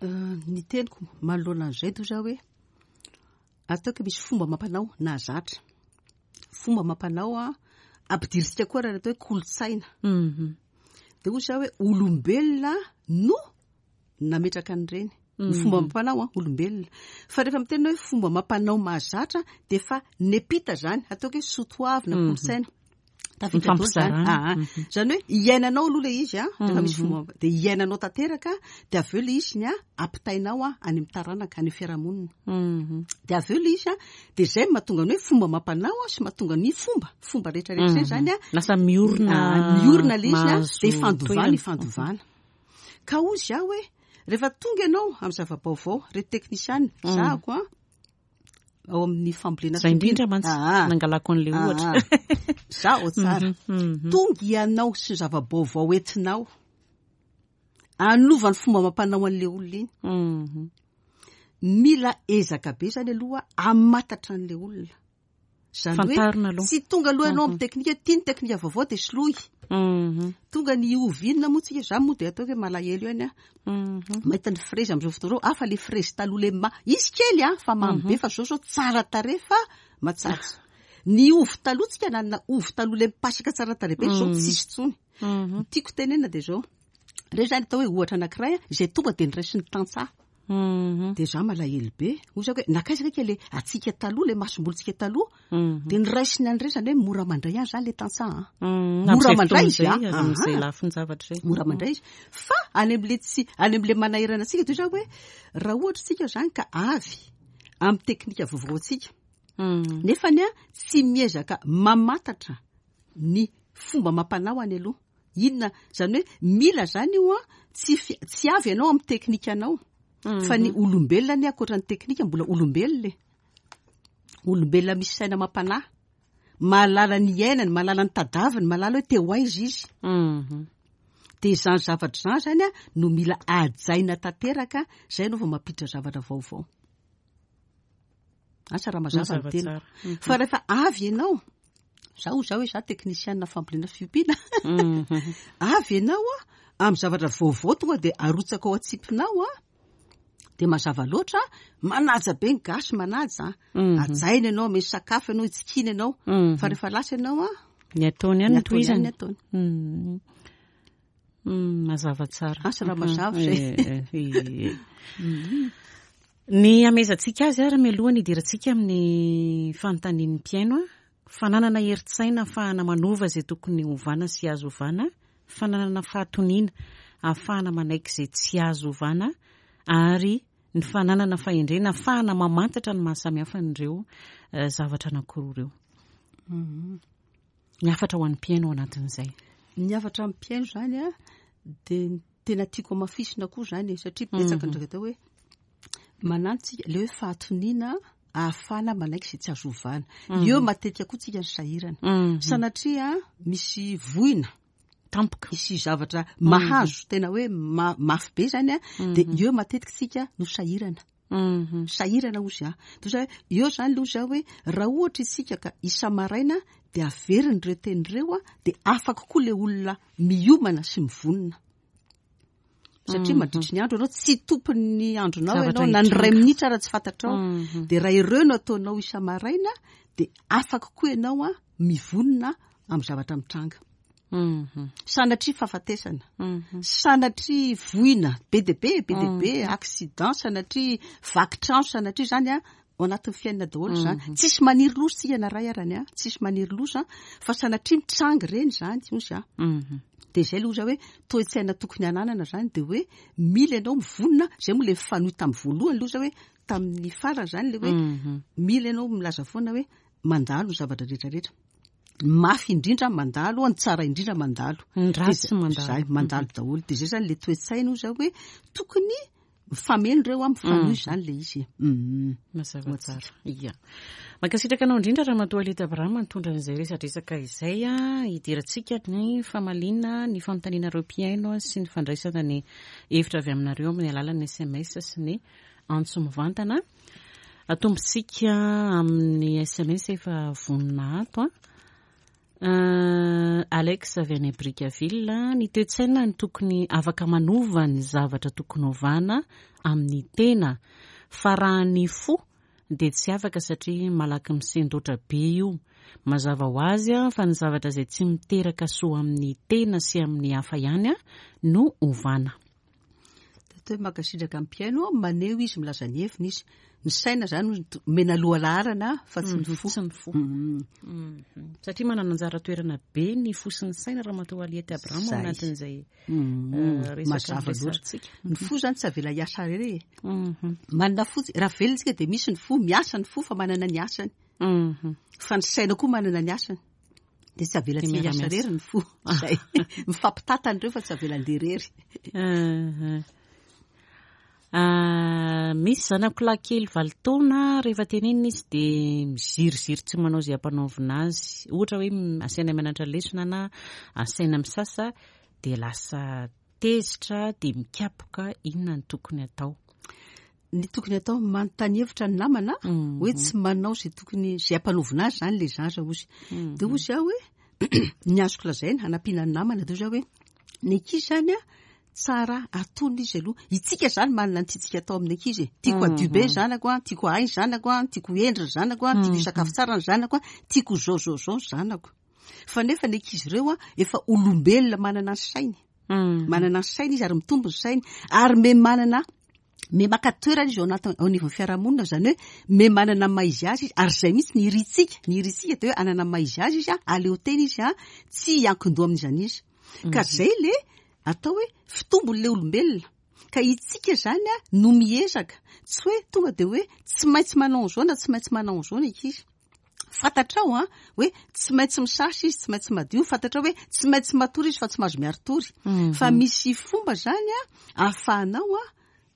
Euh, ny teniko manoloana an'izay to za hoe ataoko misy fomba mampanao nahazatra, fomba mampanao a, ampidiritsika koa raha atao hoe kolotsaina. Mhm. De hoy za hoe olombelona no nametraka an'ireny ny fomba mampanao a, olombelona. Fa rehefa miteny hoe fomba mampanao mahazatra, de fa nepita zany, ataoko hoe soatoavina, kolotsaina tafiditra daholo zany. Mifampizarana. Ah, ah. Zany hoe iainanao aloha le izy a, rehefa misy fomba de iainanao tanteraka, de avy eo le izy ny a ampitainao a any amin'ny taranaka, any amin'ny fiarahamonina. Mhm. De avy eo le izy a, de zay no mahatonga ny hoe fomba mampanao a, sy mahatonga ny fomba fomba rehetrarehetra zay zany a. Lasa miorina. Ah, miorina le izy a, mahazo de ifandovana, toerana. Ifandovana. Ka ozy aho hoe rehefa tonga ianao amin'ny zava-baovao, reto teknisiana zahako a, ao amin'ny fambolena Zay indrindra mantsy Ah, ah. nangalako an'le Ah, ohatra. ah. Zaho tsara. Mhm. Tonga ianao sy ny zava-baovao entinao anova ny fomba mampanao an'le olona iny, Mhm. mila ezaka be zany aloha amatatra an'le olona zany hoe Fantarina aloha. tsy tonga aloha ianao amin'ny teknika, tia ny teknika vaovao de soloy. Mhm. Tonga ny ovy inona moa tsika, za moa de ataoko hoe malahelo ihany a, Mhm. mahita ny frezy am'izao fotoana zao, afa le frezy taloha le ma izy kely a, fa mamy be, fa zao zao tsara tare fa matsatso. Ny ovy taloha tsika nanana ovy taloha le mipasaka tsara tare be, zao tsisy tsony. Mhm. Ny tiako tenena de zao reo zany atao hoe ohatra anankiray a, izay tonga de niraisin'ny tantsaha. Mhm. De za malahelo be, hoy zako hoe nakaiza kaiky le atsika taloha, le masombolontsika taloha, Mhm. de niraisiny an'ireny zany hoe mora mandray azy zany le tantsaha a. Mhm. Mora Amin'izay mandray fotoana izy, a. izay, amin'izay Aha. lafin-javatra izay. Mora mandray izy, fa any am'le tsy any am'le manahirana antsika toy zao hoe raha ohatra tsika zany ka avy amin'ny teknika vaovao antsika, Mhm. nefany a tsy miezaka mamantatra ny fomba mampanao any aloha inona zany, hoe mila zany io a, tsy fi- tsy avy ianao amin'ny teknika anao, fa ny olombelona ny ankoatra ny teknika mbola olombelona e, olombelona misy saina mampanahy. mahalala ny iainany, mahalala ny tadaviny, mahalala hoe te ho aiza izy. Mhm. De izany zavatra izany zany a no mila hajaina tanteraka, zay no vao mampiditra zavatra vaovao. Asa raha mazava ny Mazava tena. tsara. Mhm. Fa rehefa avy ianao, zaho zao hoe za teknisianina fambolena fiompiana. Mhm. Avy ianao a amin'ny zavatra vaovao tonga de arotsaka ao an-tsipinao a, de mazava loatra, manaja be ny gasy, manaja. Mhm. Hajaina ianao, misy sakafo ianao, itsikina ianao. Mhm. Fa rehefa lasa ianao a, Ny ataony ihany ny no ataony ihany tohizany. ny ataony. Mhm. Mm, mazava tsara. Asa raha Mhm. mazava izay. Eh, eh, eh. Ny amezantsika azy ary mialoha ny hidirantsika amin'ny fanontanian'ny mpihaino a, fananana herin-tsaina ahafahana manova izay tokony hovana sy azo ovana, fananana fahatoniana ahafahana manaiky izay tsy azo ovana, ary ny fananana fahendrena ahafahana mamantatra ny mahasamihafa an'ireo, eh, zavatra anankiroa ireo. Mhm. Ny hafatra ho an'ny mpihaino ao anatin'izay. Ny hafatra amin'ny mpihaino zany a, de ny tena tiako hamafisina koa zany e, satria betsaka Mhm. ndraiky atao hoe manantsika le hoe fahatoniana ahafahana manaiky izay tsy azo ovana. Mhm. Eo matetika koa tsika ny sahirana. Mhm. Sanatria misy voina, Tampoka. misy zavatra mahazo tena hoe ma-, mafy be zany a, de Mhm. eo matetika tsika no sahirana. Mhm. Sahirana ozy a. Toy izay, eo zany aloha zao hoe raha ohatra isika ka isa-maraina de averiny ireo teny ireo a, de afaka koa le olona miomana sy mivonona. Satria Mhm. mandritry ny andro ianao tsy tompon'ny andronao Zavatra ianao, na ny iray hitranga. minitra raha tsy fantatrao. Mhm. De raha ireo no ataonao isa-maraina, de afaka koa ianao a mivonona amin'ny zavatra mitranga. Mhm. Sanatria fahafatesana. Mhm. Sanatria voina, be dia be, be dia be, Mhm. accident, sanatria vaky trano, sanatria zany a, ao anatin'ny fiainana daholo zany. Mhm. Tsisy maniry loza tsika na ray arany a, tsisy maniry loza, fa sanatria mitranga ireny zany, ozy a. Mhm. De zay aloha hoe toe-tsaina tokony hananana zany, de hoe mila ianao mivonona, zay moa le mifanohy tamin'ny voalohany aloha zao hoe tamin'ny farany zany le hoe Mhm. mila ianao milaza foana hoe mandalo ny zavatra rehetrarehetra. Mafy indrindra mandalo, ny tsara indrindra mandalo. Ny ratsy De mandalo. Zay, mandalo daholo. De zay zany le toe-tsaina zao hoe tokony mifameno ireo a, mifanohy Mm. zany le izy. Mm. Mazava Ho tsara. antsika. Ia. Mankasitraka anao indrindra Ramatoa Aliette Abraham nitondra an'izay resadresaka izay a, hidirantsika ny famaliana ny fanontanianareo mpihaino a, sy ny fandraisana ny hevitra avy aminareo amin'ny alalan'ny S M S sy ny antso mivantana. Atombontsika amin'ny S M S efa vonona ato a. Euh, Alex avy any Brickaville, ny toe-tsaina ny tokony afaka manova ny zavatra tokony hovana amin'ny tena, fa raha ny fo dia tsy afaka satria malaky misendoatra be io. Mazava ho azy a, fa ny zavatra izay tsy miteraka soa amin'ny tena sy amin'ny hafa ihany a no hovana. Dia hoe mankasitraka amin'ny mpihaino, maneho izy, milaza ny heviny izy. Ny saina zany no to-, omena loha laharana fa tsy ny Mhm, fo. Tsy ny fo. Mhm. Mhm. Satria manana anjara toerana be ny fo sy ny saina Ramatoa Aliette Abraham ao Zay. anatin'izay, Mhm. eh, resaka Mazava loatra. resahantsika. Ny fo zany tsy avela hiasa irery e. Mhm. Manana fo tsy-, raha velona isika dia misy ny fo, miasa ny fo fa manana ny asany. Mhm. Fa ny saina koa manana ny asany. Dia tsy avela Dia tsy hiasa miara-miasa. irery ny fo. Zay. Mifampitantana ireo fa tsy avela handeha irery. Mhm. Ah, misy zanako lahy kely valo taona, rehefa tenenina izy dia miziriziry tsy manao izay ampanaovina azy. Ohatra hoe m-, asaina mianatra lesona na asaina misasa dia lasa tezitra dia mikapoka. Inona no tokony atao? Ny tokony atao, manontany hevitra ny namana, Mhm. hoe tsy manao izay tokony, izay ampanaovina azy zany le zaza ozy. Mhm. Dia ozy aho hoe ny azoko lazaina hanampiana ny namana, dia ozy aho hoe ny ankizy zany a, tsara atony izy aloha. Itsika zany manana ny tiantsika atao amin'ny ankizy e. Tiako hadio be ny Mhm. zanako a, tiako hahay ny zanako a, tiako hendry ny zanako a, tiako Mhm. hisakafo tsara ny zanako a, tiako zao zao zao ny zanako. Fa nefa ny ankizy ireo a, efa olombelona manana ny sainy. Mhm. Manana ny sainy izy ary mitombo ny sainy, ary me manana, me maka toerana izy ao anaty, ao anivon'ny fiarahamonina, zany hoe me manana ny maha izy azy izy, ary zay mihitsy ny iritsika, ny iritsika dia hoe hanana ny maha izy azy izy a, aleo tena izy a, tsy hiankin-doha amin'izany izy. Ka Mhm. zay le atao hoe fitombon'ilay olombelona. Ka itsika zany a no miezaka, tsy hoe tonga dia hoe tsy maintsy manao an'izao na tsy maintsy manao an'izao ny ankizy. Fantatrao a hoe tsy maintsy misasa izy, tsy maintsy madio, fantatrao hoe tsy maintsy matory izy fa tsy mahazo miaritory. Mhm. Fa misy fomba zany a ahafahanao a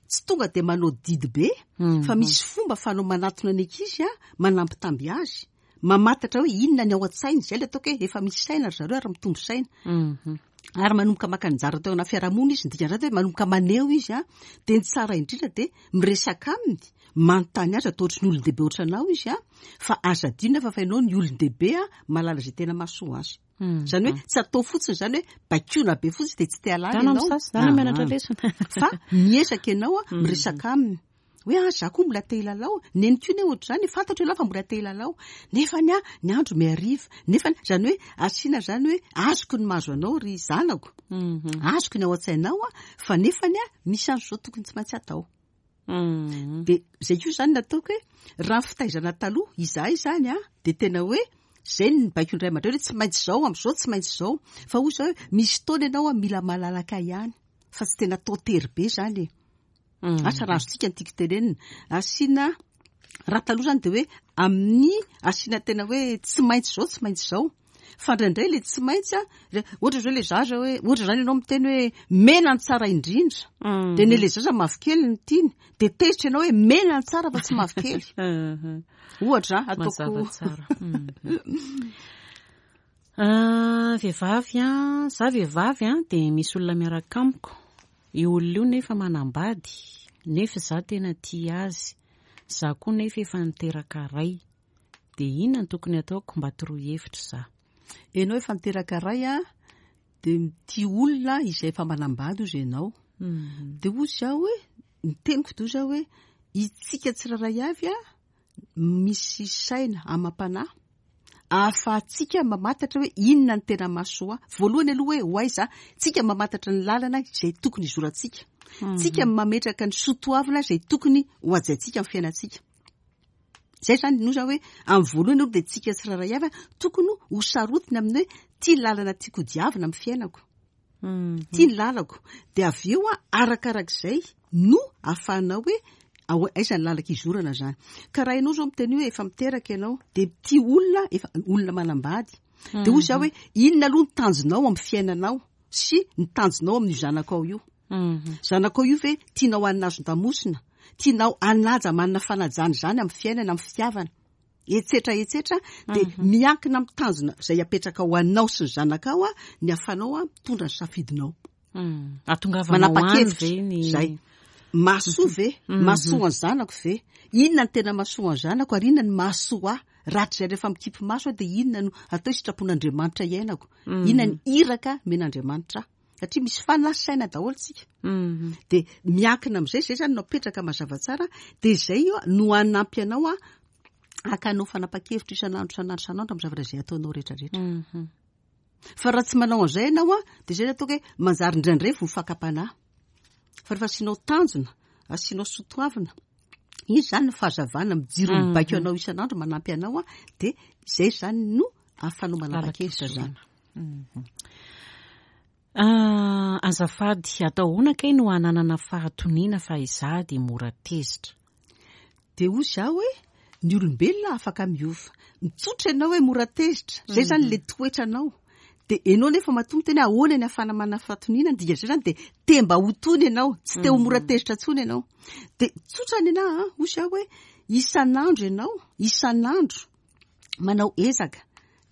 tsy tonga dia manao didy be, Mhm. fa misy fomba fanao manatona ny ankizy a, manambitamby azy, Mamantatra hoe inona ny ao an-tsainy, zay le ataoko hoe efa misy saina ry zareo ary mitombo saina. Mhm. Ary manomboka maka anjara teo anaty fiarahamonina izy, ny dikan'izany hoe manomboka maneho izy a, dia ny tsara indrindra dia miresaka aminy, manontany azy, atao ohatry ny olon-dehibe ohatranao izy a, fa aza adino nefa fa ianao ny olon-dehibe a, mahalala izay tena mahasoa azy. Mhm. Zany hoe tsy atao fotsiny zany hoe baikoana be fotsiny dia tsy te halala Dana ianao. misasa, dana mianatra Ah. lesona. Fa miezaka ianao a, miresaka aminy. Hoe ah, za koa mbola te hilalao. Neny koa ne ohatr'izany, fantatro ianao fa mbola te hilalao. Nefa ny a, ny andro mihariva. Nefa zany hoe asiana zany hoe azoko ny mahazo anao ry zanako. Mhm. Azoko ny ao an-tsainao a, fa nefa ny a, misy andro zao tokony tsy maintsy atao. Mhm. De zay koa zany nataoko hoe raha ny fitaizana taloha izahay zany a, de tena hoe zay ny baiko indray aman-dreny hoe tsy maintsy zao amin'izao, tsy maintsy zao. Fa hoy zao hoe misy fotoana ianao a mila malalaka ihany, fa tsy tena atao tery be zany e. Mhm. Asa raha azontsika ny tiako tenenina. Asiana raha taloha zany de hoe amin'ny asiana tena hoe tsy maintsy zao, tsy maintsy zao. Fa indraindray le tsy maintsy a, re- ohatra zao le zaza hoe, ohatra zany ianao miteny hoe mena ny tsara indrindra. Mhm. De ne le zaza mavokely ny tiany, de tezitra ianao hoe mena ny tsara fa tsy mavokely. Mhm. Ohatra ataoko Mazava tsara. Mhm. Ah, vehivavy a, za vehivavy a, de misy olona miaraka amiko. Io olona io nefa manambady, nefa za tena tia azy. Za koa nefa efa niteraka ray. De inona no tokony ataoko mba toroy hevitra za? Ianao efa niteraka ray a, de mitia olona izay efa manambady ozy ianao. Mhm. De hoy zaho hoe, ny teniko de hoy zaho hoe, itsika tsirairay avy a, misy saina amam-panahy ahafahantsika mamantatra hoe inona ny tena mahasoa. Voalohany aloha hoe ho aiza, tsika mamantatra ny lalana izay tokony hizorantsika. Tsika mametraka ny soatoavina izay tokony ho hajaintsika amin'ny fiainantsika. Zay zany no zaho hoe amin'ny voalohany aloha dia tsika tsirairay avy a, tokony ho sarotiny amin'ny hoe tia ny lalana tiako hodiavina amin'ny fiainako. Mhm. Tia ny lalako. Dia avy eo a, arakarak'izay no ahafahanao hoe ao- aiza ny lalaka izorana zany. Ka raha ianao zao miteny hoe efa miteraka ianao, dia tia olona, efa olona manambady. Dia hoy zaho hoe inona aloha ny tanjonao amin'ny fiainanao sy ny tanjonao amin'io zanakao io. Mhm. Zanakao io ve tianao hanina azon-damosina, tianao hanaja manana fanajana izany amin'ny fiainana, amin'ny fitiavana, etsetra etsetra, dia miankina amin'ny tanjona izay apetraka ho anao sy ny zanakao a, ny ahafahanao a mitondra ny safidinao. Mhm. Ahatongavanao any Manapa-kevitra ve ny zay. Mahasoa ve? Mahasoa ny zanako ve? Inona ny tena mahasoa ny zanako ary inona ny mahasoa ahy? Rahatrizay rehefa mikipy maso aho dia inona no atao sitrapon'Andriamanitra iainako? Inona ny iraka omen'Andriamanitra ahy? Satria misy fanahy saina daholo tsika. Mhm. De miankina amin'izay, zay zany no apetraka mazava tsara, de zay io no hanampy anao a hakanao fanapa-kevitra isan'andro isan'andro isan'andro amin'ny zavatra izay ataonao rehetrarehetra. Mhm. Fa raha tsy manao an'izay ianao a, de zay no ataoko hoe manjary indraindray vo fakam-panahy. Fa rehefa asianao tanjona, asianao soatoavina, iny zany ny fahazavana mijiro mibaiko anao isan'andro manampy anao a, de zay zany no ahafahanao manapa-kevitra zany. Mhm. Ah, azafady, atao ahoana kay no hananana fahatoniana fa izaho dia mora tezitra? De hoy zaho hoe ny olombelona afaka miova. Mitsotra ianao hoe mora tezitra, zay zany le toetranao. De ianao nefa matoa miteny hoe ahoana ny ahafahana manana fahatoniana, ny dikan'izay zany de te mba ho tony ianao, tsy te ho mora tezitra intsony ianao. De tsotra ny anahy a, hoy zaho hoe isan'andro ianao, isan'andro manao ezaka.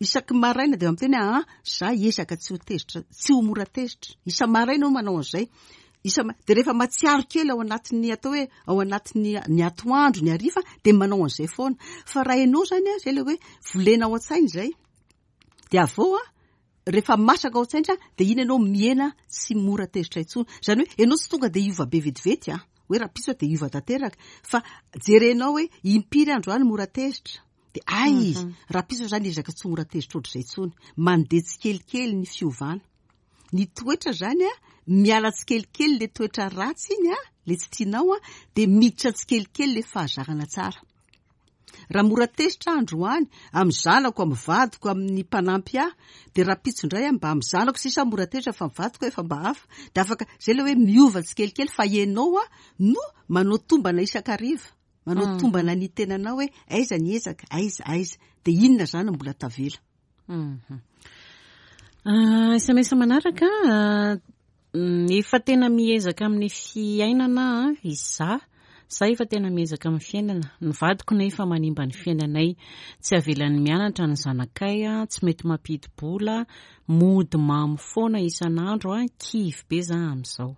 Isaky maraina de miteny hoe ah, za ezaka tsy ho tezitra, tsy ho mora tezitra. Isa maraina aho manao an'izay. Isa ma-, de rehefa mahatsiaro kely ao anatin'ny atao hoe ao anatin'ny ny atoandro, ny hariva, de manao an'izay foana. Fa raha ianao zany a, zay le hoe volena ao an-tsaina izay. De avy eo a, rehefa masaka ao an-tsaina de iny ianao mihena tsy mora tezitra intsony. Zany hoe ianao tsy tonga de hiova be vetivety a, hoe rahampitso de hiova tanteraka. Fa jerenao hoe impiry androany mora tezitra. De ay, rahampitso zany ezaka tsy mora tezitra ohatr'izay intsony. Mandeha tsikelikely ny fiovana. Ny toetra zany a, miala tsikelikely le toetra ratsy iny a, le tsy tianao a, de miditra tsikelikely le fahazarana tsara. Raha mora tezitra androany amin'ny zanako, amin'ny vadiko, amin'ny mpanampy ahy, de rahampitso indray aho mba amin'ny zanako sisa mora tezitra fa ny vadiko efa mba hafa. De afaka zay le hoe miova tsikelikely fa ianao a no manao tombana isan-kariva. Manao tombana ny tenanao hoe aiza ny ezaka, aiza, aiza. De inona zany no mbola tavela. Mhm. Ah, S M S manaraka, ah, mm, efa tena miezaka amin'ny fiainana, ah, izaho, Za efa tena miezaka amin'ny fiainana, ny vadiko nefa manimba ny fiainanay, tsy avelany mianatra ny zanakay, tsy mety mampidi-bola, mody mamo foana isan'andro, a kivy be za amin'izao.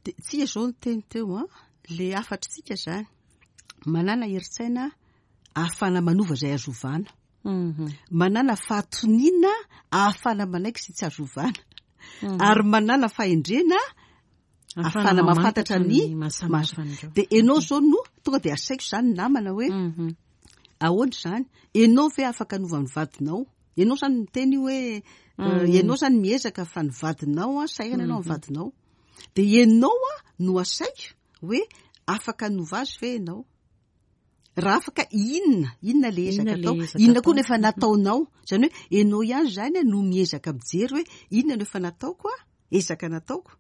De tsika zao ny teny teo a, le hafatritsika zany, manana herin-tsaina ahafahana manova izay azo ovana. Mhm. Manana fahatoniana ahafahana manaiky sy tsy azo ovana. Mhm. Ary manana fahendrena ahafahana mahafantatra ny mahasamihafa an'ireo. De ianao zao no tonga de asaiko zany namana hoe Mhm. ahoana zany? Ianao ve afaka hanova ny vadinao? Ianao zany miteny hoe Mhm. ianao zany miezaka fa ny vadinao a, sahirana ianao amin'ny vadinao. De ianao a no asaiko hoe afaka hanova azy ve ianao? Raha afaka inona? Inona le ezaka Inona le atao? ezaka Inona koa atao? no efa nataonao? Zany hoe ianao ihany zany no miezaka mijery hoe inona no efa nataoko a? Ezaka nataoko.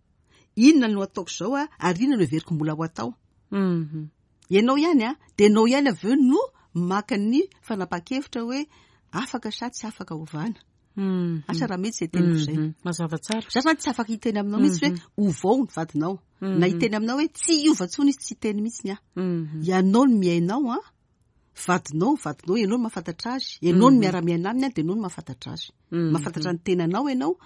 Inona no ataoko izao a? Ary inona no heveriko mbola ho atao? Mhm. Ianao ihany a, de ianao ihany avy eo no maka ny fanapahan-kevitra hoe afaka sa tsy afaka ovana. Mhm. Asa raha mety izay teniko izay. Mhm. Mazava tsara. Za zany tsy afaka hiteny aminao mihitsy hoe ovao ny vadinao. Na hiteny aminao hoe tsy hiova intsony izy, tsy hiteny mihitsy ny ahy. Mhm. Ianao no miainao a, vadinao, vadinao, ianao no mahafantatra azy. Ianao no miara-miaina aminy a, de ianao no mahafantatra azy. Mhm. Mahafantatra ny tenanao ianao,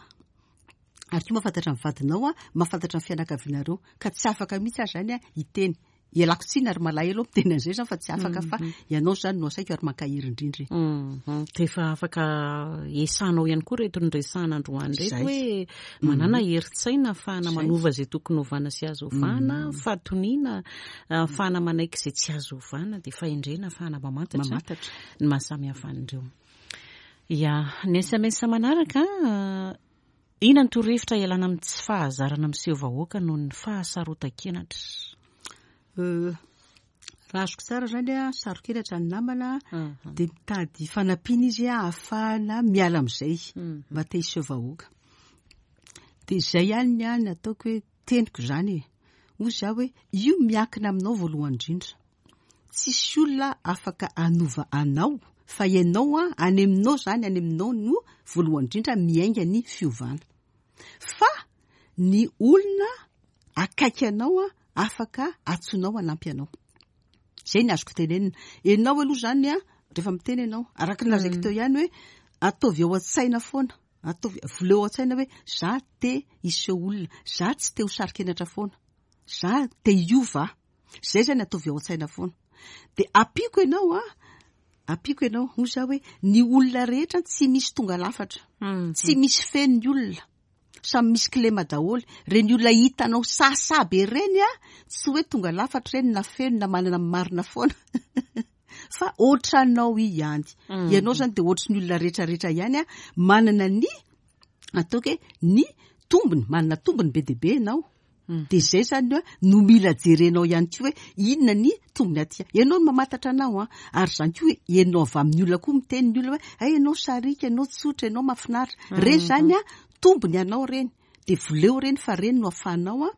ary koa mahafantatra ny vadinao a, mahafantatra ny fianakavianareo. Ka tsy afaka mihitsy aho zany a hiteny. Ialako tsiny ary malahelo aho miteny an'izay zany fa tsy afaka fa ianao zany no asaiko ary mankahery indrindra. Mhm. De efa afaka esanao ihany koa reto ny resahana androany reto Zay. hoe manana herin-tsaina ahafahana Zay. manova izay tokony ovana sy azo ovana, fahatoniana ahafahana manaiky izay tsy azo ovana, de fahendrena ahafahana mamantatra Mamantatra. ny mahasamihafa an'ireo. Ya, ny S M S manaraka, inona ny torohevitra ialana amin'ny tsy fahazarana miseho vahoaka noho ny fahasarotan-kenatra? Euh, raha azoko tsara zany a, saro-kenatra ny namana, Mhm. de mitady fanampiana izy a, ahafahana miala amin'izay, Mhm. mba te hiseho vahoaka. De izay ihany ny ahy ny ataoko hoe teniko zany e. Hoy za hoe io miankina aminao voalohany indrindra. Tsisy olona afaka hanova anao, fa ianao a, any aminao zany, any aminao no voalohany indrindra miainga ny fiovana. Fa ny olona akaiky anao a, afaka antsonao hanampy anao. Zay ny azoko tenenina. Ianao aloha zany a, rehefa miteny ianao, araka ny lazaiko teo ihany hoe ataovy ao an-tsaina foana. Ataovy voleo ao an-tsaina hoe za te hiseho olona, za tsy te ho saro-kenatra foana, za te hiova. Zay zany ataovy ao an-tsaina foana. De ampiako ianao a, ampiako ianao, hoy za hoe ny olona rehetra tsy misy tonga lafatra. Mhm. Tsy misy feno ny olona. Samy misy kilema daholo. Reny olona hitanao sahasaha be reny a, tsy hoe tonga lafatra reny na feno na manana marina foana. Fa ohatranao ihany. Mhm. Ianao zany de ohatry ny olona rehetrarehetra ihany a, manana ny ataoko hoe ny tombony, manana tombony be dia be ianao. Mhm. De zay zany hoe no mila jerenao ihany koa hoe inona ny tombony aty. Ianao no mamantatra anao a, ary zany koa hoe ianao avy amin'ny olona koa miteny ny olona hoe ay ianao sarika, ianao tsotra, ianao mahafinaritra. Reny zany a, tombony anao reny. De voleo reny fa reny no ahafahanao a,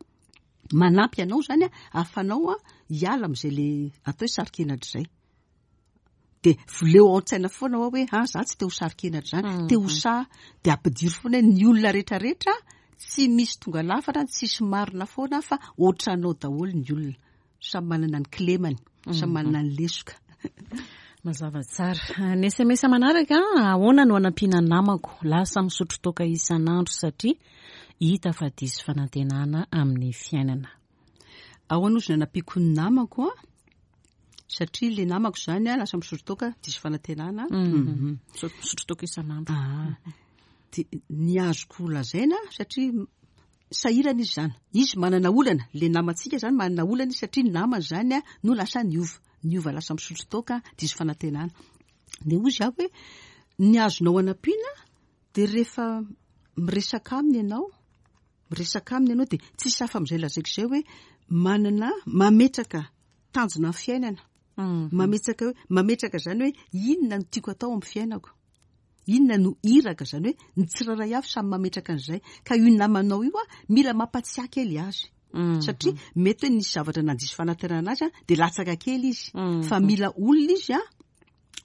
manampy anao zany a, ahafahanao a hiala amin'izay le atao hoe saro-kenatra izay. De voleo ao an-tsaina foana hoa hoe ah, za tsy te ho saro-kenatra zany, te ho sahy. De ampidiro foana hoe ny olona rehetrarehetra tsy misy tonga lafatra, tsisy marina foana fa ohatranao daholo ny olona. Samy manana ny kilemany, samy manana ny lesoka. Mazava tsara. Ny S M S manaraka, ahoana no hanampiana namako lasa misotro toaka isan'andro satria hita fa diso fanantenana amin'ny fiainana? Ahoana ozy no hanampiako ny namako a? Satria le namako zany a, lasa misotro toaka diso fanantenana. Mhm. Misotro toaka isan'andro. Ah. De ny azoko lazaina satria sahirana izy zany. Izy manana olana, le namantsika zany manana olana izy satria ny namany zany a no lasa niova. Niova lasa misotro toaka diso fanantenana. De hoy izy aho hoe ny azonao hanampiana de rehefa miresaka aminy ianao, miresaka aminy ianao de tsisy hafa amin'izay lazaiko izay hoe manana mametraka tanjona amin'ny fiainana. Mhm. Mametraka hoe, mametraka zany hoe inona no tiako atao amin'ny fiainako. Inona no iraka zany hoe ny tsirairay avy samy mametraka an'izay. Ka io namanao io a, mila mampatsiahy kely azy. Mhm. Satria mety hoe nisy zavatra nandiso fanantenana azy a, de latsaka kely izy. Mhm. Fa mila olona izy a,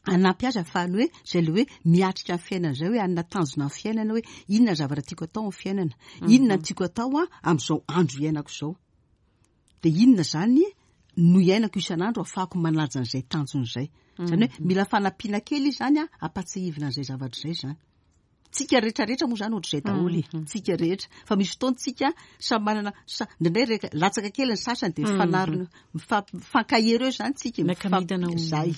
hanampy azy ahafahany hoe zay le hoe miatrika ny fiainana zay, hoe hanana tanjona amin'ny fiainana hoe inona ny zavatra tiako atao amin'ny fiainana, inona no tiako atao a amin'izao andro iainako izao. De inona zany no iainako isan'andro ahafahako manaja an'izay tanjona izay. Zany hoe mila fanampiana kely izy zany a, ampahatsiahivina an'izay zavatra izay zany. Tsika rehetrarehetra moa zany ohatr'izay daholo e, tsika rehetra. Fa misy fotoana tsika samy manana, sa, indraindray reka latsaka kely ny sasany dia mifanarina, mifa- mifankahery eo zany tsika, Miaka-midina ho- zay.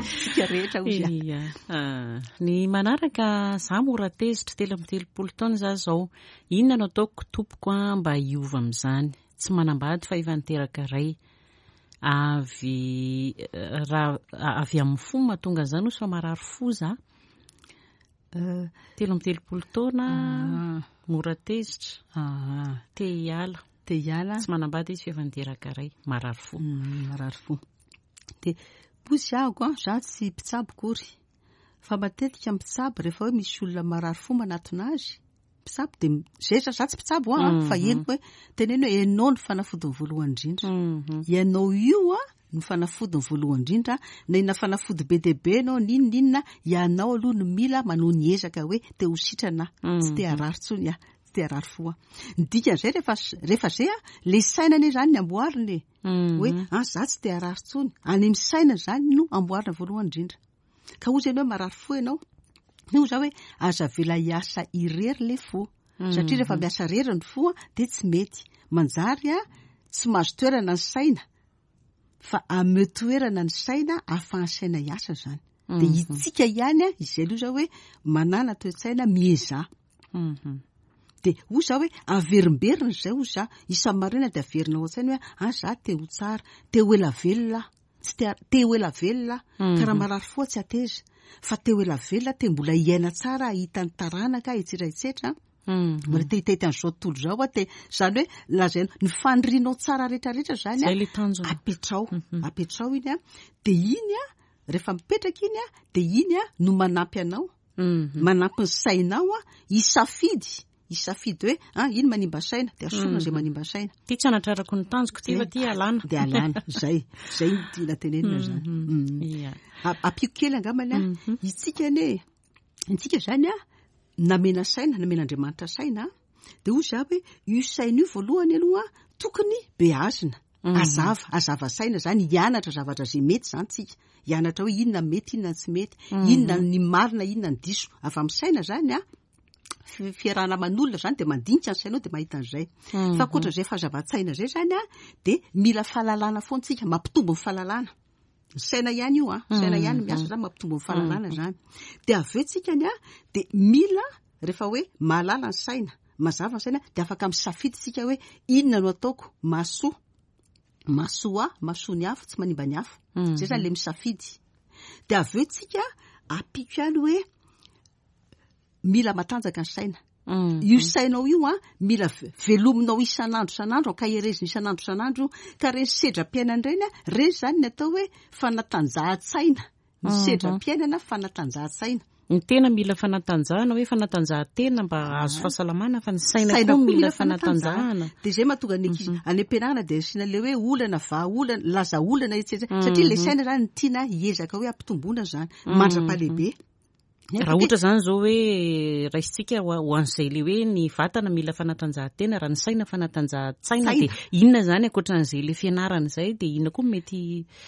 Tsika rehetra hozy a. Ia. Ah, ny manaraka, za mora tezitra, telo amby telopolo taona za zao. Inona no ataoko tompoko a mba hiova amin'izany? Tsy manambady fa efa niteraka ray. Avy raha avy amin'ny fo mahatonga an'izany hozy fa marary fo za. Eh, Telo amby telopolo taona, ah, mora tezitra, ah, te hiala. te hiala. Tsy manambady izy fa efa niteraka ray, marary fo. Mm, marary fo. De hozy ahako a, za tsy mpitsabo akory. Fa matetika mpitsabo rehefa hoe misy olona marary fo manatona azy, mpitsabo de zay za za tsy mpitsabo a, fa henoko hoe teneno hoe ianao no fanafodiny voalohany indrindra. Mhm. Ianao io a no fanafodiny voalohany indrindra, na inona fanafody be dia be ianao n'inona n'inona, ianao aloha no mila manao ny ezaka hoe te ho sitrana aho, tsy te harary intsony aho, tsy te harary fo aho. Ny dikan'izay rehefa rehefa zay a, le saina anie zany ny amboarina e. Hoe ah za tsy te harary intsony, any amin'ny saina zany no amboarina voalohany indrindra. Ka hozy ianao hoe marary fo ianao, hoy za hoe aza avela hiasa irery le fo. Satria rehefa miasa irery ny fo a, dia tsy mety. Manjary a, tsy mahazo toerana ny saina, fa ameo toerana ny saina ahafahan'ny saina hiasa zany. Dia itsika ihany a, izay aloha zao hoe manana toe-tsaina miezaha. Mhm. Dia hoy za hoe averimberina izay hoy za, isa-maraina dia averina ao an-tsaina hoe ah za te ho tsara, te ho ela velona aho, tsy te te ho ela velona aho, ka raha marary fo aho tsy hateza, fa te ho ela velona te mbola hiaina tsara, hahita ny taranaka, etsetra etsetra. Mhm. Mbola te hitahita an'izao tontolo izao aho, te zany hoe lazaina ny fanirianao tsara rehetrarehetra zany a, Zay le tanjona. apetrao, apetrao iny a, dia iny a, rehefa mipetraka iny a, dia iny a no manampy anao. Mhm. Manampy ny sainao a, hisafidy, hisafidy hoe ah iny manimba saina, dia asorina izay manimba saina. Ty tsy anatrarako ny tanjoko ty fa ty alana. Dia alana, zay, zay no tiana tenenina zany. Mm. Ia. A- Ampiko kely angambany a, itsika anie, itsika zany a, namena saina, namen'Andriamanitra saina, dia hoy za hoe io saina io voalohany aloha tokony beazina. Azava, azava saina zany, hianatra zavatra izay mety zany tsika. Hianatra hoe inona mety, inona tsy mety, inona ny marina, inona ny diso. Avy amin'ny saina zany a, fi- fiarahana aman'olona zany dia mandinika ny sainao dia mahita an'izay. Fa ankoatran'izay fahazavan-tsaina izay zany a, dia mila fahalalana foana tsika, mampitombo ny fahalalana. Ny saina ihany io a, saina ihany miasa zany mampitombo ny fahalalana zany. Dia avy eo tsika ny a, dia mila rehefa hoe mahalala ny saina, mazava ny saina, dia afaka misafidy tsika hoe inona no ataoko mahasoa. Mahasoa ahy, mahasoa ny hafa, tsy manimba ny hafa. Zay zany le misafidy. Dia avy eo tsika ampiko ihany hoe mila matanjaka ny saina. Mm. Io sainao io a, mila ve- velominao isan'andro isan'andro, ankaherezina isan'andro isan'andro, ka reny sedram-piainana ireny a, reny zany ny atao hoe fanatanjahan-tsaina. Ny sedram-piainana fanatanjahan-tsaina. Ny tena mila fanatanjahana, hoe fanatanjahantena mba hahazo fahasalamana, fa ny saina Saina koa koa mila mila fanatanjahana. Dia izay mahatonga ny ankizy any am-pianarana dia asiana le hoe olana, vahaolana, laza olana, et cetera. Satria le saina zany ny tiana hiezaka hoe ampitomboana zany, mandra-pahalehibe. Raha ohatra zany zao hoe raisitsika ho ho an'izay le hoe ny vatana mila fanatanjahantena, raha ny saina fanatanjahan-tsaina, Saina. dia inona zany ankoatran'izay le fianarana izay, dia inona koa mety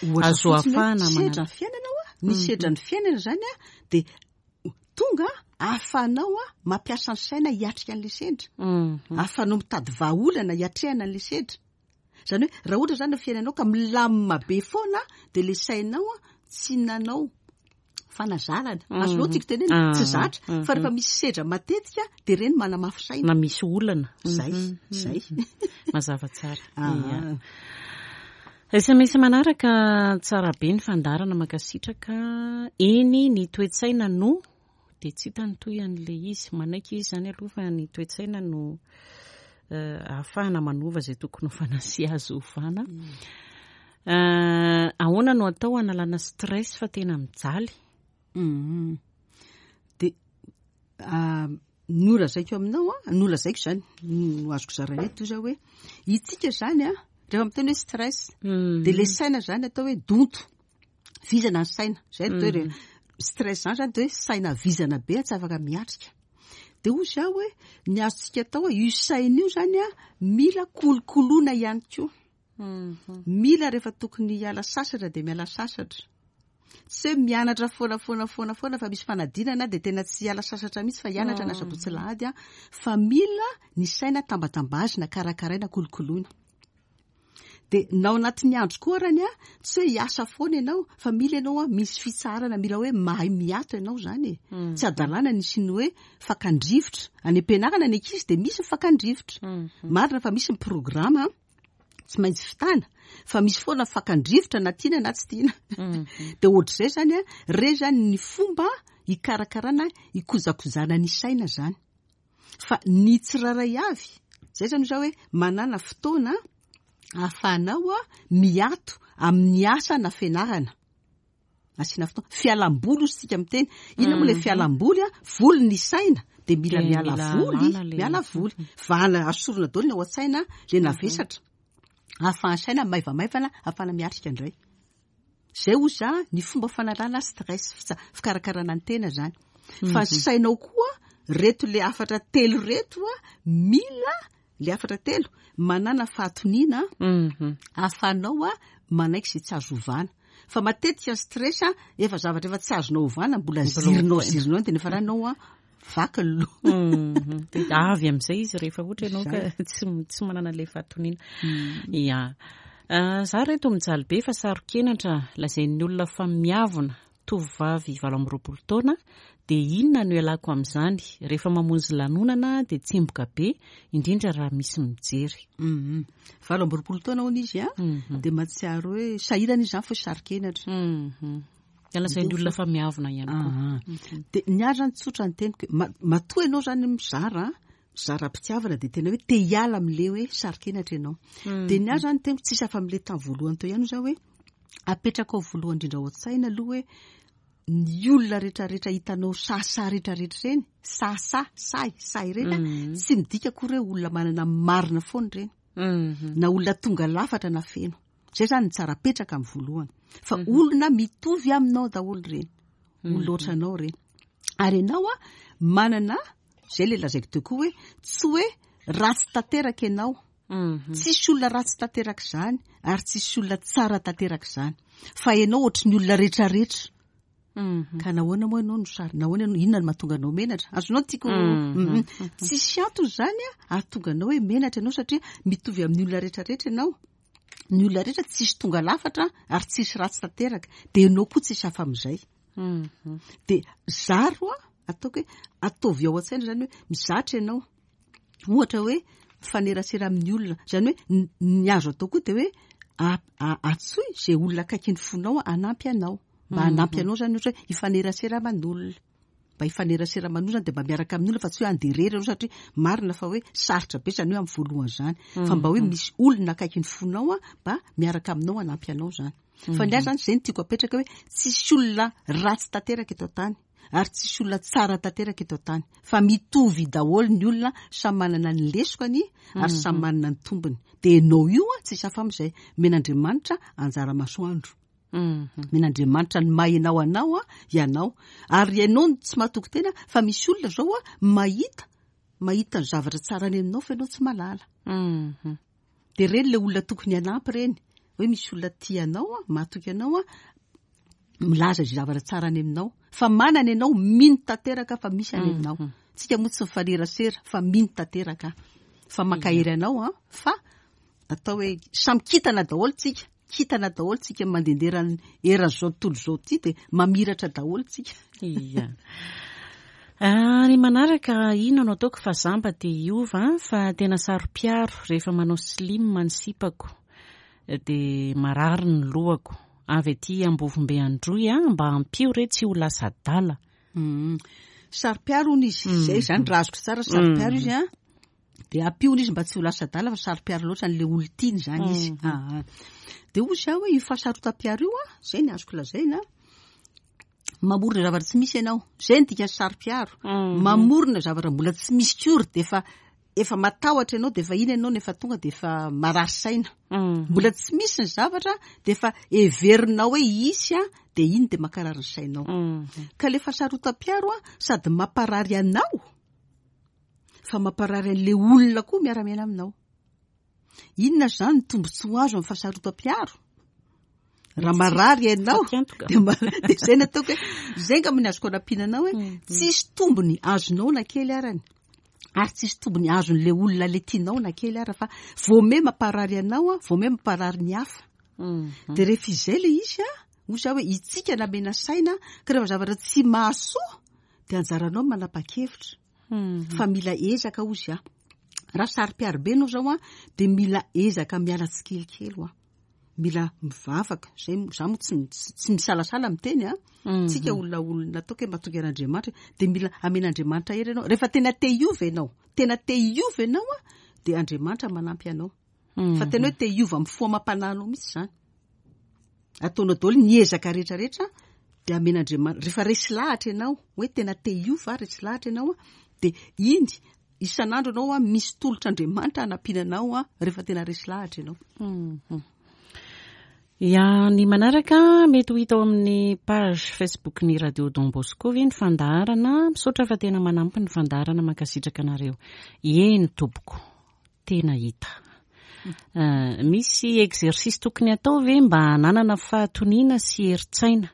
Ohatra azo fotsiny hoe ahafahana sedra manana ny fiainana hoa, ny sedra ny fiainana zany a, dia tonga ahafahanao a mampiasa ny saina hiatrika an'ilay sendra. Mhm. Ahafahanao mitady vahaolana hiatrehana an'ilay sendra. Zany hoe raha ohatra zany ny fiainanao ka milamina be foana, dia le sainao a tsy nanao fanazarana. Azonao tiako tenenina, tsy zatra, fa rehefa misy sedra matetika dia ireny manamafy saina. Na misy olana. Zay, zay. Mazava tsara. Ah. Ia. S M S manaraka, tsara be ny fandaharana, mankasitraka. Eny, ny toe-tsaina no dia tsy hita ny toy an'ilay izy. Manaiky izy zany aloha fa ny toe-tsaina no, eh, ahafahana manova izay tokony ho fanasy azo ovana. Eh, ahoana no atao hanalana stress fa tena mijaly? Mhm. Dia, ah, nolazaiko aminao a, nolazaiko zany, no azoko zaraina eto zao hoe itsika zany a, rehefa miteny hoe stress, Mhm. dia le saina zany atao hoe donto, vizana ny saina. Zay atao hoe stress zany zany dia hoe saina vizana be tsy afaka miatrika. Dia hoy zaho hoe ny azontsika atao hoe io saina io zany a, mila kolokoloina ihany koa. Mila rehefa tokony hiala sasatra dia miala sasatra. Tsy hoe mianatra foana foana foana foana fa misy fanadinana dia tena tsy hiala sasatra mihitsy fa hianatra na sabotsy alahady a, fa mila ny saina tambatambazina, karakaraina, kolokoloina. Dia na ao anatin'ny andro koa arany a, tsy hoe hiasa foana ianao fa mila ianao a misy fitsaharana, mila hoe mahay miato ianao zany e. Tsy adalàna nisy ny hoe fakandrivotra. Any am-pianarana ny ankizy dia misy ny fakandrivotra. Marina fa misy ny programa tsy maintsy fitana, fa misy foana fakandrivotra na tiana na tsy tiana. Dia ohatr'izay zany a, re zany ny fomba hikarakarana, hikojakojana ny saina zany. Fa ny tsirairay avy, zay zany zao hoe manana fotoana ahafahanao a miato amin'ny asa na fianarana. Asiana fotoana fialamboly hozy tsika miteny. Inona moa ilay fialamboly a? Voly ny saina dia mila Dia miala mila voly, alana le- miala voly. Vahana asorona daholo ny ao an-tsaina le navesatra. Ahafahan'ny saina maivamaivana, ahafahana miatrika indray. Zay hozy a ny fomba fanalana stress, fitsa- fikarakarana ny tena zany. Fa ny sainao koa reto le hafatra telo reto a, mila le hafatra telo manana fahatoniana Mhm. ahafahanao a manaiky izay tsy azo ovana. Fa matetika ny stress a efa zavatra efa tsy azonao ovana, mbola zirinao zirinao dia nefa raha a vaky ny loha. Mhm. Dia avy amin'izay izy rehefa ohatra ianao ka tsy tsy manana ilay fahatoniana. Ya. Ah, za reto mijaly be fa saro-kenatra lazain'ny olona fa miavona, tovovavy valo amby roapolo taona, dia inona no ialako amin'izany? Rehefa mamonjy lanonana dia tsemboka be, indrindra raha misy mijery. Mhm. Valo amby roapolo taona hono izy a, Mhm. dia mahatsiaro hoe sahirana izy zany fa saro-kenatra. Mhm. Dia lazain'ny olona fa miavona ihany koa. Ah, dia ny ahy zany tsotra ny teniko hoe ma- matoa ianao zany mizara, mizara am-pitiavana dia tena hoe te hiala amin'le hoe saro-kenatra ianao. Dia ny ahy zany teniko tsisy afa amin'le tamin'ny voalohany teo ihany zao hoe apetraka ao voalohany indrindra ao an-tsaina aloha hoe ny olona rehetrarehetra hitanao sahisahy rehetrarehetra ireny, sahisahy, sahy, sahy ireny a, tsy midika akory hoe olona manana marina foana ireny. Mhm. Na olona tonga lafatra na feno. Zay zany ny tsara apetraka amin'ny voalohany. Fa olona mitovy aminao daholo ireny. Olona ohatranao ireny. Ary ianao a manana, zay le lazaiko teo koa hoe tsy hoe ratsy tanteraka ianao. Mhm. Tsisy olona ratsy tanteraka izany ary tsisy olona tsara tanteraka izany. Fa ianao ohatry ny olona rehetrarehetra. Mhm. Ka nahoana moa ianao no sary, nahoana ianao, inona no mahatonga anao menatra? Azonao tiako. Mhm. Mhm. Tsisy antony zany a ahatonga anao hoe menatra ianao satria mitovy amin'ny olona rehetrarehetra ianao. Ny olona rehetra tsisy tonga lafatra ary tsisy ratsy tanteraka. Dia ianao koa tsisy hafa amin'izay. Mhm. Dia zaro a, ataoko hoe ataovy ao an-tsaina zany hoe mizatra ianao. Ohatra hoe mifanerasera amin'ny olona. Zany hoe ny- ny azo atao koa dia hoe a- a- antsoy izay olona akaiky ny fonao hanampy anao. Mba hanampy anao zany ohatra hoe hifanerasera aman'olona. Mba hifanerasera aman'olona zany dia mba miaraka amin'olona fa tsy hoe handeha irery ianao satria marina fa hoe sarotra be zany hoe amin'ny voalohany zany. Fa mba hoe misy olona akaiky ny fonao a, mba miaraka aminao hanampy anao zany. Fa ny ahy zany izay no tiako apetraka hoe tsisy olona ratsy tanteraka eto an-tany ary tsisy olona tsara tanteraka eto an-tany. Fa mitovy daholo ny olona, samy manana ny lesokany ary samy manana ny tombony. Dia ianao io a tsisy hafa amin'izay. Omen'Andriamanitra anjara masoandro. Mhm. Omen'Andriamanitra ny maha ianao anao a ianao. Ary ianao no tsy mahatoky tena fa misy olona zao a mahita, mahita ny zavatra tsara any aminao fa ianao tsy mahalala. Mhm. Dia ireny ilay olona tokony hanampy ireny. Hoe misy olona tia anao a, mahatoky anao a, milaza izay zavatra tsara any aminao. Fa manana ianao mino tanteraka fa misy any aminao. Tsika moa tsy mifanerasera fa mino tanteraka. Fa mankahery anao a, fa atao hoe samy kintana daholo tsika. Kintana daholo tsika mandehandeha eran'izao tontolo izao ity dia mamiratra daholo tsika. Ia. Ah, ny manaraka inona no ataoko fa za mba te hiova fa tena saro-piaro rehefa manao slim ny sipako dia marary ny lohako. Avy aty Ambovombe Androy a, mba ampio re tsy ho lasa adala. Mm. Saro-piaro hono izy. Zay zany raha azoko tsara saro-piaro izy a. Dia ampio hono izy mba tsy ho lasa adala fa saro-piaro loatra an'ilay olona tiany zany izy. Ah, ah. Dia hoy zaho hoe io fahasarotam-piaro io a, zay ny azoko lazaina. Mamorona zavatra tsy misy ianao. Zay ny dikan'ny saro-piaro. Mamorona zavatra mbola tsy misy kory dia efa efa matahotra ianao dia efa iny ianao nefa tonga dia efa marary saina. Mbola tsy misy ny zavatra dia efa heverinao hoe hisy a, dia iny dia mankarary ny sainao. Ka le fahasarotam-piaro a sady mamparary anao fa mamparary an'ilay olona koa miara-miaina aminao. Inona zany ny tombontsoa azo amin'ny fahasarotam-piaro? Raha marary ianao, de ma- de zay nataoko hoe zay angamba ny azoko anampiana anao hoe tsisy tombony azonao na kely arany, ary tsisy tombony azon'le olona le tianao na kely ara, fa vao me mamparary anao a, vao me mamparary ny hafa. De rehefa izay le izy a, hoy za hoe itsika namena saina ka rehefa zavatra tsy mahasoa de anjaranao manapa-kevitra, fa mila ezaka ozy a. Raha saro-piaro be anao zao a, de mila ezaka miala tsikelikely ho a, mila mivavaka zay. Za moa tsy tsy misalasala miteny a, tsika olona olona ataoko hoe matoky an'Andriamanitra, de mila amen'Andriamanitra hery ianao. Rehefa tena te hiova ianao, tena te hiova ianao a, de Andriamanitra manampy anao, fa tena hoe te hiova amin'ny fo amam-panahinao mihitsy zany, ataonao daholo ny ezaka rehetrarehetra, de amen'Andriamanitra. Rehefa resy lahatra ianao hoe tena te hiova, resy lahatra ianao a, de iny isan'andro ianao a misy tolotra Andriamanitra hanampiana anao a, rehefa tena resy lahatra ianao. Ya, ny manaraka mety ho hita ao amin'ny page Facebook ny Radio Don Bosco ve ny fandaharana? Misaotra fa tena manampy ny fandaharana, mankasitraka anareo. Eny tompoko, tena hita. Uh, misy exercice tokony atao ve mba hananana fahatoniana sy herin-tsaina?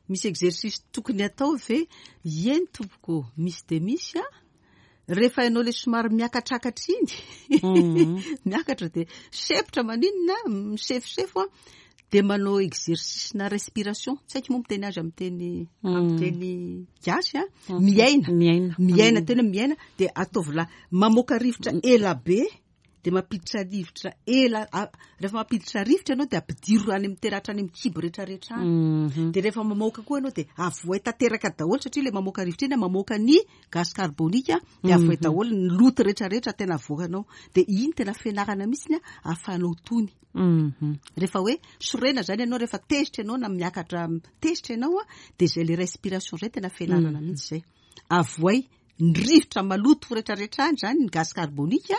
Misy exercice tokony atao ve? Eny tompoko, misy de misy a. Rehefa ianao le somary miakatrakatra iny, miakatra de sepotra, maninona misefosefo a, de manao exercice na respiration, tsy haiko moa miteny azy amin'ny teny amin'ny teny gasy a, miaina. Miaina. Miaina, tena miaina, de ataovy la mamoaka rivotra ela be, de mampiditra rivotra ela. Rehefa mampiditra rivotra ianao, de ampidiro any amin'ny tena hatrany amin'ny kibo rehetrarehetra any, de rehefa mamoaka koa ianao, de avoay tanteraka daholo, satria le mamoaka rivotra iny mamoaka ny gaz carbonique, de avoay daholo ny loto rehetrarehetra tena avoakanao, de iny tena fianarana mihitsy a ahafahanao tony. Rehefa hoe sorena zany ianao, rehefa tezitra ianao na miakatra tezitra ianao a, de zay le respiration zay tena fianarana mihitsy zay, avoay ny rivotra maloto rehetrarehetra any zany, ny gaz carbonique,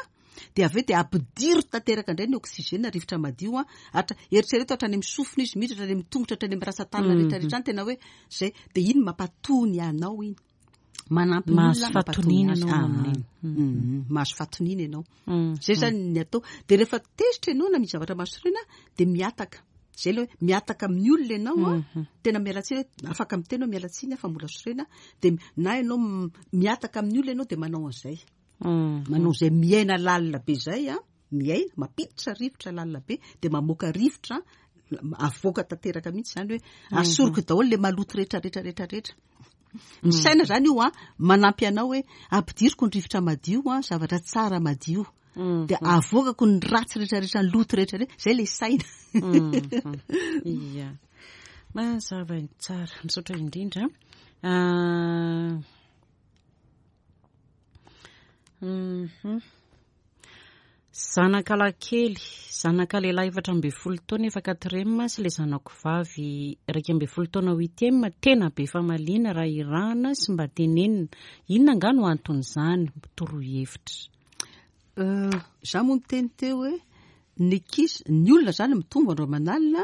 de avy eo de ampidiro tanteraka indray ny oxygène, rivotra madio a, atra eritrereto hatrany amin'ny sofina izy miditra, hatrany amin'ny tongotra, hatrany amin'ny rantsan-tanana rehetrarehetra any, tena hoe zay, de iny mampatony anao iny, manampy ny Mahazo olona fahatoniana mampatony azy. ianao Ah, amin'iny. mhm, mahazo fahatoniana ianao zay zany ny atao. De rehefa tezitra ianao na misy zavatra mahasorena, de miataka zay le hoe miataka amin'ny olona ianao a, tena mialatsiny hoe afaka miteny hoe mialatsiny a fa mbola sorena, de na ianao m- miataka amin'ny olona ianao, de manao an'izay, manao zay miaina lalina be zay a, miaina mampiditra rivotra lalina be, de mamoaka rivotra avoaka tanteraka mihitsy zany, hoe asoroko daholo le maloto rehetrarehetra rehetrarehetra. Ny saina zany io a manampy anao hoe ampidiriko ny rivotra madio a, zavatra tsara madio, de avoakako ny ratsy rehetrarehetra, ny loto rehetrarehetra, zay le saina. Ia, mazava tsara, misaotra indrindra. Ah, mhm. Zanaka lahy, zanaka lehilahy efatra amby folo taona efa quatrième sy le zanako vavy iraika amby folo taona huitième, tena be famaliana raha irahana sy mba tenenina. Inona nga no anton'izany? Toroy hevitra. Euh, za moa niteny teo hoe ny ankizy, ny olona zany mitombo andro aman'alina,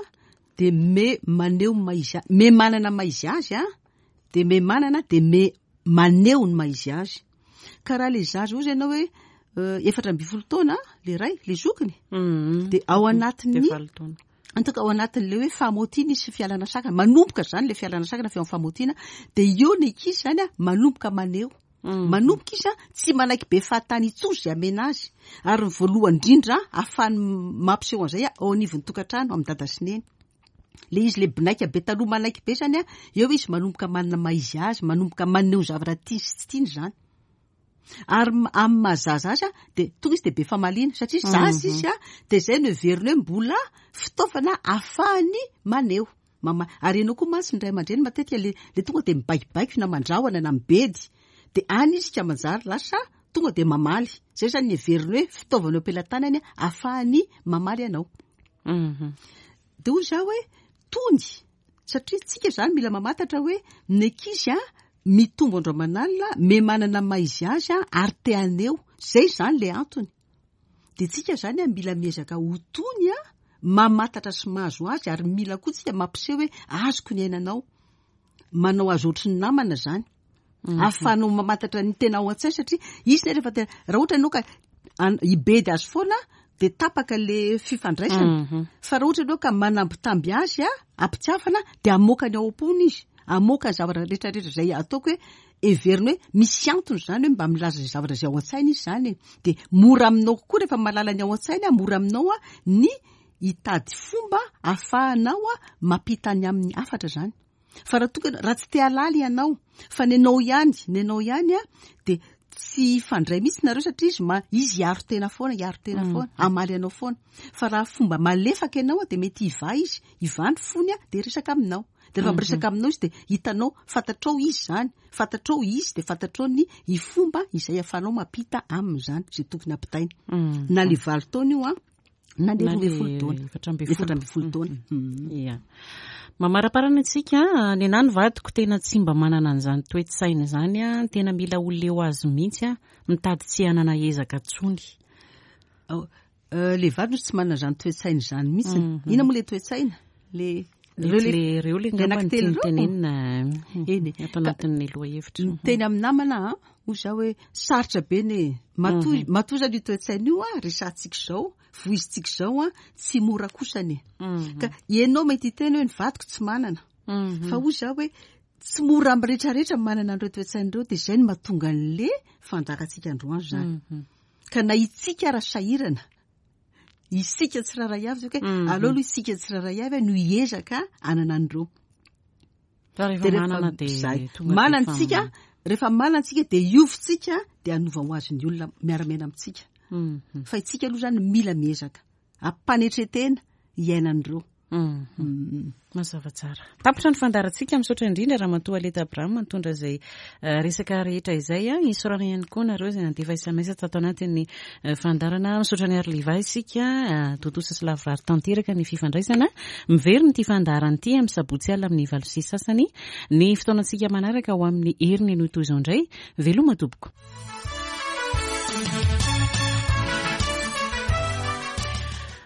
de me maneho maha izy a- me manana maha izy azy a, de me manana, de me maneho ny maha izy azy. Ka raha le zaza ozy ianao hoe euh, efatra amby folo taona le ray, le zokiny, de ao anatin'ny De valo taona. En tout cas ao anatin'le hoe famotiana izy sy fialana sakana, manomboka zany le fialana sakana fi amin'ny famotiana, de eo ny ankizy zany a manomboka maneho, manomboka izy a tsy manaiky be fahatany intsony zay amena azy. Ary ny voalohany indrindra ahafahany mampiseho an'izay a, ao anivon'ny tokantrano, amin'ny dada sy neny le izy, le binaika be taloha manaiky be zany a, eo izy manomboka manana maha izy azy, manomboka maneho zavatra tiany sy tsy tiany zany. Ary m- amin'ny mahazaza azy a, de tonga izy de be famaliana satria zaza izy a, de zay no heveriny hoe mbola fitaovana ahafahany maneho mama. Ary ianao koa mantsy ny ray aman-dreny matetika le le tonga de mibaikobaiko na mandrahona na mibedy, de any izy ka manjary lasa tonga de mamaly zay zany ny heveriny hoe fitaovana eo am-pelatanany ahafahany mamaly anao. Mhm. De hoy za hoe tony, satria tsika zany mila mamantatra hoe ny ankizy a mitombo andro aman'alina, me manana maha izy azy a, ary te haneho zay zany le antony. De tsika zany a mila miezaka ho tony a, mamantatra sy mahazo azy, ary mila koa tsika mampiseho hoe azoko ny ainanao, manao azy ohatry ny namana zany, ahafahanao mamantatra ny tena ao an-tsaina, satria izy ne rehefa tena raha ohatra ianao ka an- hibedy azy foana de tapaka le fifandraisana. Mhm. Fa raha ohatra ianao ka manambitamby azy a ampitiavana, de amoaka ny ao am-pony izy, amoaka ny zavatra rehetrarehetra zay ataoko hoe everina hoe misy antony zany, hoe mba milaza zay zavatra zay ao an-tsaina izy zany e. De mora aminao kokoa rehefa mahalala ny ao an-tsaina, mora aminao a ny hitady fomba ahafahanao a mampita ny amin'ny hafatra zany. Fa raha tonga raha tsy te halala ianao, fa ny anao ihany, ny anao ihany a de tsy hifandray mihitsy nareo, satria izy ma izy hiaro tena foana, hiaro tena foana, hamaly anao foana. Fa raha fomba malefaka ianao a de mety hivaha izy, hivaha ny fony a de resaka aminao. De rehefa miresaka aminao izy, de hitanao, fantatrao izy zany, fantatrao izy, de fantatrao ny fomba izay ahafahanao mampita aminy zany zay tokony ampitaina. Mm. Na le valo taona io a na le Na roa ambin'ny folo le taona, efatra ambin'ny folo. Efatra ambin'ny folo taona. Mm. Ia. Mamaraparana antsika, ny anahy ny vadiko tena tsy mba manana an'izany toe-tsaina izany a, tena mila olona eo azy mihitsy a, mitady tsy hanana ezaka tsony. Ao, euh, le vadiny tsy manana zany toe-tsaina zany mihitsy. Mhm. Inona moa le toe-tsaina? Le Reo le reo le le ngamba ny anankitelo tiany ireo? tenenina Eny e. ato anatin'ny lohahevitra. Miteny amin'ny namana a hoy za hoe sarotra be ny matoa matoa zany io toe-tsaina io a resahantsika izao, voizintsika izao a tsy mora kosany e. Mhm. Ka ianao mety hiteny hoe ny vadiko tsy manana. Mhm. Fa hoy za hoe tsy mora amin'ny rehetrarehetra manana an'ireo toe-tsaina ireo, de zay no mahatonga an'le fandaharantsika androany zany. Mhm. Ka na itsika raha sahirana, isika tsirairay avy zao ke Mhm. aleo aloha isika tsirairay avy no hiezaka hanana an'ireo. Fa rehefa De rehefa manana de zay. tonga de Manana efa- tsika, rehefa manana tsika de iovitsika, de hanova ho azy ny olona miara-miaina amintsika. Mhm. Fa itsika aloha zany mila miezaka ampanetretena hiainan'ireo. Mhm. Mm. Mazava tsara. Tapitra ny fandaharantsika. Misaotra indrindra Ramatoa Aleta Abraham nitondra izay eh, resaka rehetra izay a. Isaorana ihany koa nareo izay nandefa S M S tato anatin'ny eh, fandaharana. Misaotra ny Arliva isika, eh, tontosa sy lavorary tanteraka ny fifandraisana. Miverina ity fandaharana ity amin'ny sabotsy alina amin'ny valo sy sasany. Ny fotoanantsika manaraka ho amin'ny heriny no toy izao indray. Veloma tompoko.